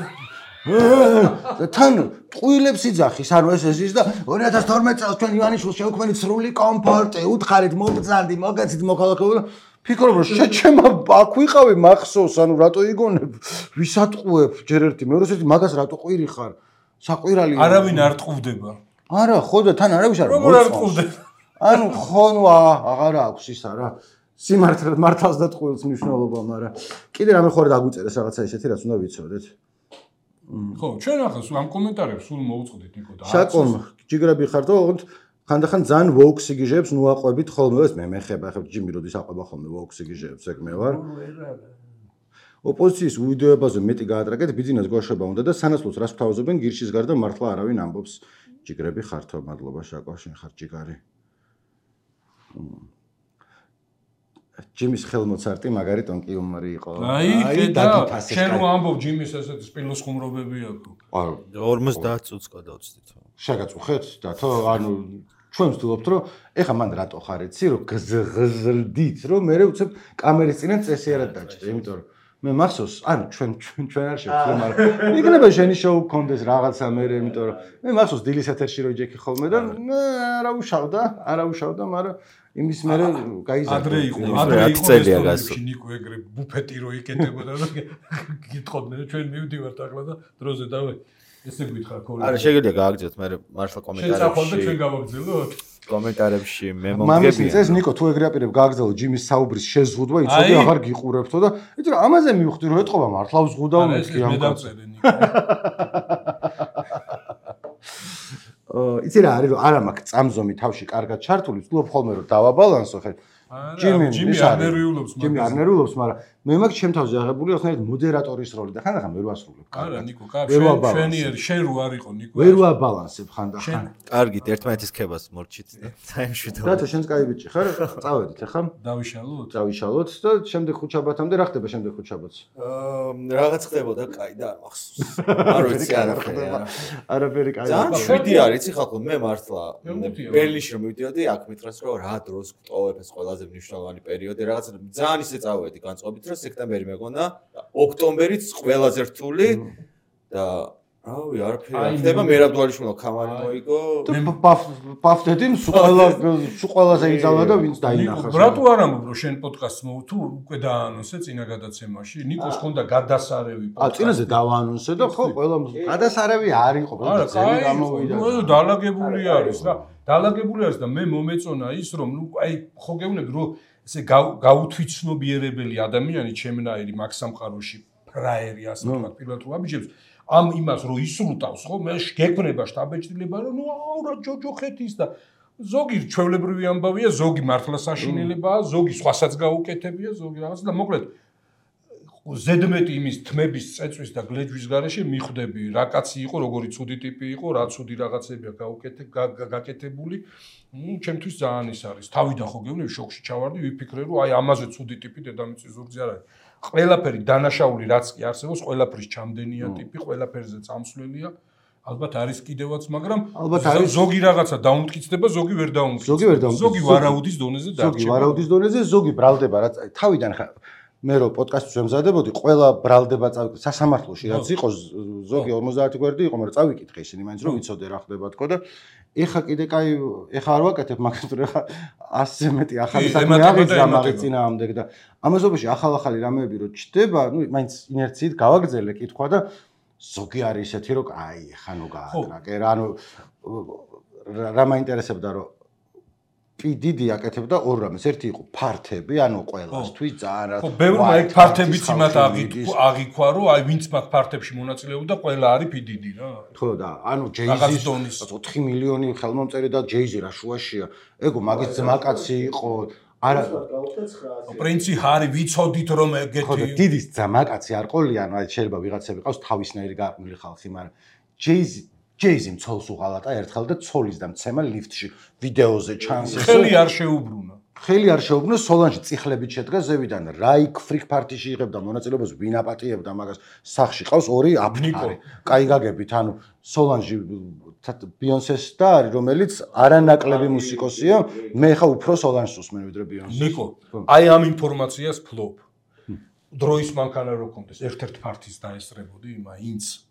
თან ტყუილებს იძახის ანუ ეს ეს და ორი ათას თორმეტ წელს ჩვენ ივანიშვილს შევქმნით სრული კომფორტი უთხარით მომბრძანდი მოგეცით მოქალაქეობა ფიქრობ რომ შეჩემა აქ ვიყავი მახსოვს ანუ რატო იგონებ ვისატყუებ ჯერ ერთი მეორე ერთი მაგას რატო ყვირი ხარ საყვირალი არავინ არ ტყუდება არა ხო და თან არავის არ როგორ არ ტყუდება ანუ ხონვა აღარა აქვს ისა რა სიმართლე მართავს და ტყუილს მნიშვნელობა, მაგრამ კიდე რამე ხوار დაგვიწერეს რაღაცა ისეთი, რაც უნდა ვიცოდეთ. ხო, ჩვენ ახლა ამ კომენტარებს სულ მოვუწყდით ნიკო და შაკომ, ჯიგრები ხარ და ოღონდ ხანდახან ძალიან ვოუქ სიგიჟეებს ნუაყვებით ხოლმე, ეს მე მეხება, ახლა ჯიმი როდის აყვება ხოლმე ვოუქ სიგიჟეებს, ეგ მე ვარ. ოპოზიციის უდიდებაზე მეტი გაატრაკეთ, ბიძინას გვაშობა უნდა და სანაცვლოდ რას ვთავაზობენ გირშის გარდა მართლა არავინ ამბობს. ჯიგრები ხართო, მადლობა შაკო, შენ ხარ ჯიგარი. ჯიმის ხელმოცარტი მაგარი ტონკი უმარი იყო. აი, და შენ რო ამბობ ჯიმის ესეთი სპილოს ხუმრობები აქვს. არა, ორმოცდაათ წუთს გადავწდით. შეგაწუხეთ და თო ანუ ჩვენ ვთვლობთ რომ ეხა მან რატო ხარ იცი რომ გზრდით რომ მე უცებ კამერის წინა წესიერად დაჭრე, იმიტომ რომ მე მახსოვს, ანუ ჩვენ ჩვენ ჩვენ არ შევხვდე, მაგრამ იქნება შენი შოუ გქონდეს რაღაცა მე, იმიტომ რომ მე მახსოვს დილის ეთერში რო ჯექი ხოლმე და არა უშავდა, არა უშავდა, მაგრამ იმის მერე გაიზარდა. ადრე იყო, ადრე იყო რესტორანებში ნიკო ეგრე ბუფეტი რო იკეტებოდა და გიტყოდნენ ჩვენ მივდივართ ახლა და დროზე დავე ესე გითხრა ქოლე. არა, შეგიძლია გააგრძელოთ, მე მართლა კომენტარებში. შენ წახვალ და ჩვენ გავაგრძელოთ. კომენტარებში მე მომგებია. მამის წეს მომგებია. ნიკო თუ ეგრე აპირებ გააგრძელო ჯიმის საუბრის შეზღუდვა, იცოდი აღარ გიყურებთო და იცი რა ამაზე მივხვდი რომ ეთყობა მართლა ვზღუდავ მეთქი ამ მე კაცს. დავწერე ნიკო. იცი რა არის რომ არა მაქვს წამზომი თავში კარგად ჩართული, ვთქვი ხოლმე რომ დავაბალანსო ხე. ჯიმი ჯიმი არ ნერვიულობს ჯიმი არ ნერვიულობს, მაგრამ მე მაქვს ჩემ თავზე აღებული ხნერად მოდერატორის როლი და ხანდახან ვერ ვასრულებ. არა ნიკო, კაფე შენიერი შენ რო არ იყო ნიკო. ვერ ვაბალანსებ ხანდახან. კარგით, ერთმანეთის ქებას მორჩით და საიმშვიდო. დათო შენს კაი ბიჭი ხარ? წავედით ახლა? დავიშალოთ? დავიშალოთ და შემდეგ ხუთშაბათამდე რა ხდება შემდეგ ხუთშაბათს? აა რაღაც ხდებოდა, კაი და არ მახსოვს. არ ვიცი არა ხდება. არაფერი კაი. ძალიან შვიდი არის, იცი ხალხო, მე მართლა ბერლინში რომ მივდიოდი, აქ მითხრას რომ რა დროს გვტოვებ ეს ყველაზე მნიშვნელოვანი პერიოდი, რაღაცა ძალიან ისე წავედი განწყობით, რომ სექტემბერი მეგონა, ოქტომბერიც ყველაზე რთული და რავი, არაფერი არ ხდება, მერაბდვალიშვილმა ქამარი მოიგო. პაფტედი სულ ყველა სულ ყველაზე იზალა და ვინც დაინახა. რატო არ ამბობ რომ შენ პოდკასტს მოვ თუ უკვე დააანონსე წინა გადაცემაში? ნიკოს ხონდა გადასარევი პოდკასტი. ა წინაზე დავაანონსე და ხო ყველა გადასარევი არ იყო, არა, კაი, ნუ დალაგებული არის რა. დალაგებული არის და მე მომეწონა ის რომ ნუ აი ხო გეუბნები რომ ესე გაუთვითცნობიერებელი ადამიანი ჩემნაირი მაგ სამყაროში ფრაერი ასე ვთქვათ პირველად რომ აბიჯებს ამ იმას რომ ისრუტავს ხო მე გეკნება შტაბეჭდილება რომ ნუ აურა ჯოჯოხეთის და ზოგი ჩვეულებრივი ამბავია ზოგი მართლა საშინელებაა ზოგი სხვასაც გაუკეთებია ზოგი რაღაც და მოკლედ ზედმეტი იმის თმების წეწვის და გლეჯვის გარეშე მიხვდები რა კაცი იყო როგორი ცუდი ტიპი იყო რა ცუდი რაღაცებია გაუკეთე გაკეთებული ну ჩემთვის ძალიან ის არის თავიდან ხო გეუბნები შოქში ჩავარდი ვიფიქრე რომ აი ამაზე ცუდი ტიპი დედამიწის ზურგზე არ არის ყველაფერი დანაშაული რაც კი არსებობს ყველაფრის ჩამდენია ტიპი ყველაფერზე წამსვლელია ალბათ არის კიდევაც მაგრამ ზოგი რაღაცა დაუმტკიცდება ზოგი ვერ დაუმტკიცდება ზოგი ვერ დაუმტკიცდება ზოგი ვარაუდის დონეზე დარჩება ზოგი ვარაუდის დონეზე ზოგი ბრალდება რაც თავიდან ხა მე რო პოდკასტს ვემზადებოდი, ყველა ბრალდება წავიკითხე სასამართლოში, რაც იყო ზოგი ორმოცდაათი გვერდი იყო, მაგრამ წავიკითხე ისინი მაინც რომ ვიცოდე რა ხდება თქო და ეხა კიდე კაი ეხა არ ვაკეთებ, მაგრამ ეხა ასზე მეტი ახალი საქმე აღიძრა მაგის წინააღმდეგ და ამაზობაში ახალ-ახალი რამეები რო ჩდება, ну მაინც ინერციით გავაგრძელე კითხვა და ზოგი არის ისეთი რომ აი ეხა ნუ გააკრაკე რა, ანუ რა მაინტერესებდა რომ დიდი აკეთებდა ორ რამეს. ერთი იყო ფართები, ანუ ყველასთვის ძალიან რა. ხო, ბევრმა ეგ ფართებიც იმათ აღიქვა, რომ აი ვინც მაგ ფართებში მონაწილეობდა, ყველა არის პიდიდი რა. ხო და ანუ ჯეიზის ოთხი მილიონი ხელმომწერი და ჯეიზი რა შუაშია. ეგო მაგის ძმაკაცი იყო. არა პრინცი ჰარი ვიცოდით რომ ეგეთი. ხო და დიდის ძმაკაცი არ ყოლია, ანუ შეიძლება ვიღაცები ყავს თავისნაირი გაყმული ხალხი, მაგრამ ჯეიზი ჯეიზი მცოლს უღალატა ერთხელ და ცოლის და მცემა ლიფტში ვიდეოზე ჩანს ეს ხელი არ შეუბრუნა ხელი არ შეუბრუნა სოლანჟი წიხლებით შედგა ზევიდან რაიქ ფრიქ პარტიში იღებდა მონაწილეობას ვინ აპატიებდა მაგას სახში ყავს ორი აფთარი კაი გაგებით ანუ სოლანჟი ბიონსეს და არის რომელიც არანაკლები მუსიკოსია მე ხა უფრო სოლანჟს უსმენ ვიდრე ბიონსეს ნიკო აი ამ ინფორმაციას ფლობ დროის მანქანა რო კონდეს ერთ-ერთ პარტიის დაესწრებოდი იმა ინც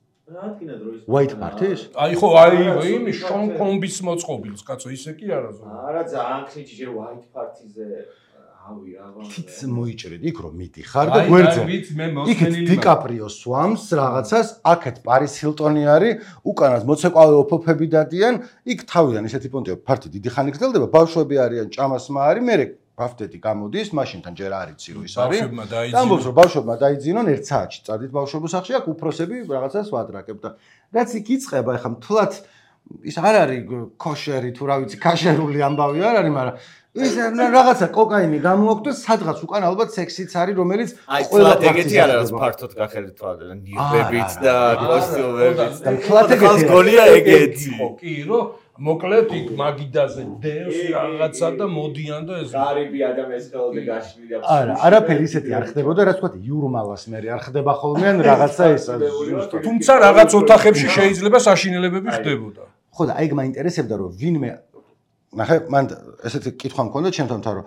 White Party-ს? აი ხო, აი იმის შონ კომბის მოწყობილს, კაცო, ისე კი არა ზო. არა, ძალიან ხნიჭი ჯერ White Party-ზე ავი რა. თიც მოიჭრეთ იქ რომ მიდიხარ და გვერდზე. იქ დიკაპრიო სვამს რაღაცას, აქეთ პარის ჰილტონი არის, უკანას მოცეკვავე ოფოფები დადიან, იქ თავიდან ისეთი პონტია, ფარტი დიდი ხანი გრძელდება, ბავშვები არიან, ჭამასმა არის, მე ბაფტეთი გამოდის, მაშინთან ჯერ არ იცი რომ ის არის. ამბობს რომ ბავშვებმა დაიძინონ ერთ საათში წადით ბავშვებო სახლში, აქ უფროსები რაღაცას ვადრაკებ და რაც იქ იწყება, ეხა მთლად ის არ არის ქოშერი თუ რა ვიცი, ქაშერული ამბავი არ არის, მაგრამ ის რაღაცა კოკაინი გამოაქვს სადღაც უკან ალბათ სექსიც არის რომელიც ყველა ეგეთი არ არის ფართოდ გახერით თვალე ნირბებით და კოსტიუმებით და ფლატეგეთი გონია ეგეთი ხო კი რომ მოკლედ იქ მაგიდაზე დევს რაღაცა და მოდიან და ეს გარიბი ადამიანის ხელზე გაშლილი და არა არაფერი ისეთი არ ხდებოდა რაც თქვა იურმალას მე არ ხდება ხოლმე ან რაღაცა ეს თუმცა რაღაც ოთახებში შეიძლება საშინელებები ხდებოდა ხო და აი მაინტერესებდა რომ ვინმე ნახე მან ესეთი კითხვა მქონდა ჩემთან რომ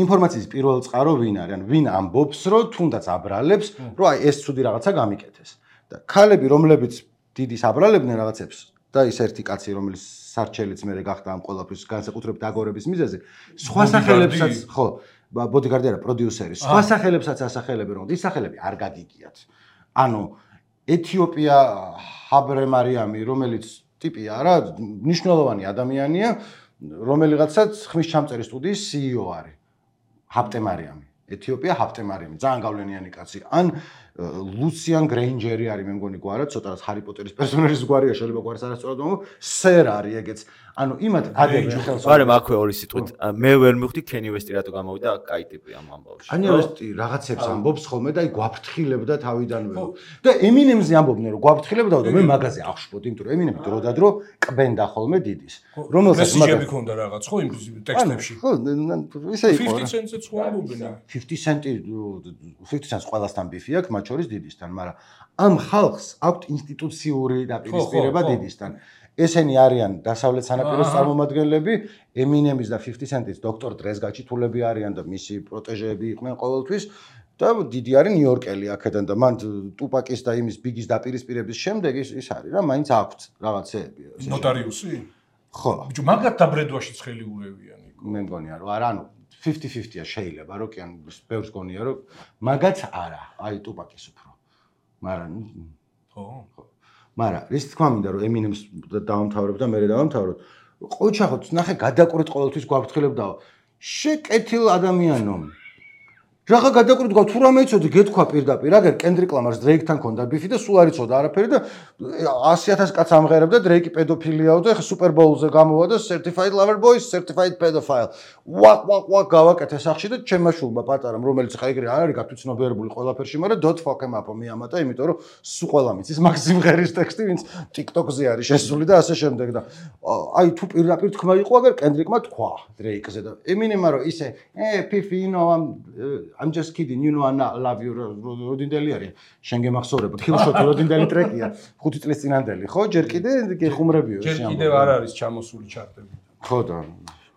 ინფორმაციის პირველ წყარო ვინ არის ან ვინ ამბობს რომ თუნდაც აბრალებს რომ აი ეს ცუდი რაღაცა გამიკეთეს და ქალები რომლებიც დიდის აბრალებდნენ რაღაცებს და ის ერთი კაცი რომელიც სარჩელიც მე გახდა ამ ყველაფრის განსაკუთრებით აგორების მიზეზი სხვა სახელებსაც ხო ბოდიგარდი არა პროდიუსერი სხვა სახელებსაც ასახელებენ რომ ის სახელები არ გაგიგიათ ანუ ეთიოპია ჰაბრე მარიამი რომელიც ტიპია რა მნიშვნელოვანი ადამიანია რომელიღაცაც ხმის ჩამწერი სტუდიის სი ი ო არის ჰაპტე მარიამი ეთიოპია ჰაპტე მარიამი ძალიან გავლენიანი კაცი ან ლუციან გრეინჯერი არის მე მგონი გვარა ცოტა ჰარი პოტერის პერსონაჟის გვარია შეიძლება გვარს არასწორად მომო სერ არის ეგეც ანუ იმათ ადებენ ხელს მაგრამ აქვე ორი სიტყვით მე ვერ მივხვდი კენი ვესტი რატო გამოვიდა კაი ტიპი ამ ამბავში კენი ვესტი რაღაცებს ამბობს ხოლმე და აი გვაფრთხილებდა თავიდანვე და ემინემზე ამბობდნენ რომ გვაფრთხილებდა და მე მაგაზე აღშვებოდი იმიტომ რომ ემინემი დროდადრო კბენდა ხოლმე დიდის რომელსაც მესიჯები ქონდა რაღაც ხო იმ ტექსტებში ხო ისე იყო fifty cents-ს ხო ამბობენ fifty cent-ი fifty cents ყველასთან ბიფი აქვს მათ შორის დიდისთან მაგრამ ამ ხალხს აქვთ ინსტიტუციური დაპირისპირება დიდისთან ესენი არიან დასავლეთ სანაპიროს წარმომადგენლები ემინემის და fifty cent-ის დოქტორ დრეს გაჩითულები არიან და მისი პროტეჟეები იყვნენ ყოველთვის და დიდი არის ნიუ-იორკელი აქედან და მან ტუპაკის და იმის ბიგის დაპირისპირების შემდეგ ის ის არის რა მაინც აქვთ რაღაცეები ნოტარიუსი ხო ბიჭო მაგათ დაბრედვაში ცხელი ურევიანი მე მგონია რომ არა ანუ fifty fifty-ა შეიძლება რომ კი ან ბევრს გონია რომ მაგაც არა აი ტუპაკის უფრო მაგრამ ხო მაგრამ ის თქვა მინდა რომ ემინემს დაამთავრებ და მე დავამთავროთ ყოჩახოთ ნახე გადაკვრით ყოველთვის გვაფრთხილებდაო შეკეთილ ადამიანო რაღა გადაკვრით გვა თუ რამე იცოდი გეთქვა პირდაპირ აგერ კენდრიკ ლამარს დრეიკთან ქონდა ბიფი და სულ არ იცოდა არაფერი და one hundred thousand კაც ამღერებდა დრეიკი პედოფილიაო და ეხა სუპერბოულზე გამოვა და certified lover boy certified pedophile ვაკ ვაკ ვაკ გავაკეთე სახში და ჩემმა შულმა პატარამ რომელიც ხა ეგრე არ არის გათვითცნობიერებული ყველაფერში მაგრამ dot fuck him up მიამატა იმიტომ რომ სულ ყველა მიცის მაგ სიმღერის ტექსტი ვინც TikTok-ზე არის შესული და ასე შემდეგ და აი თუ პირდაპირ თქმა იყო აგერ კენდრიკმა თქვა დრეიკზე და ემინემმა რომ ისე ე ფიფი you know I'm I'm just kidding you know I love you როდინდელი არის შენ გემახსოვრებოდ ხილშოთი როდინდელი ტრეკია ხუთი წლის წინანდელი ხო ჯერ კიდე გეხუმრებიო ჯერ კიდევ არ არის ჩამოსული ჩარტები ხო და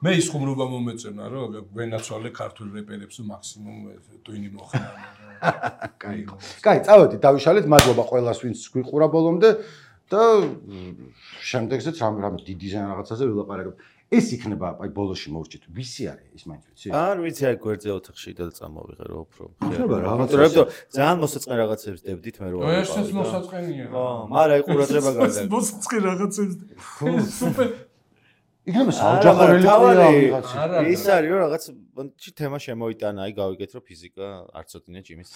მე ის ხუმრობა მომეწონა რომ ვენაცვალე ქართულ რეპერებს მაქსიმუმ ტვინი მოხდა კაი კაი წავედით დავიშალეთ მადლობა ყველას ვინც გვიყურა ბოლომდე და შემდეგზეც რამე დიდ დიზაინ რაღაცაზე ვილაპარაკებ ეს იქნება აი ბოლოში მოვჭით ვისი არის ის მაინც ვიცი არ ვიცი აი გვერდზე ოთახში და წამოვიღე რო უფრო ხება რაღაცა ძალიან მოსაწყენ რაღაცებს დებდით მე რო ესეც მოსაწყენია ხო მაგრამ აი ყურადღება გარდა მოსაწყენ რაღაცებს სუპერ იქნება საოჯახო რელიგია რაღაცა ის არის რომ რაღაც ჩი თემა შემოიტანა აი გავიგეთ რომ ფიზიკა არც ოდნე ჭიმის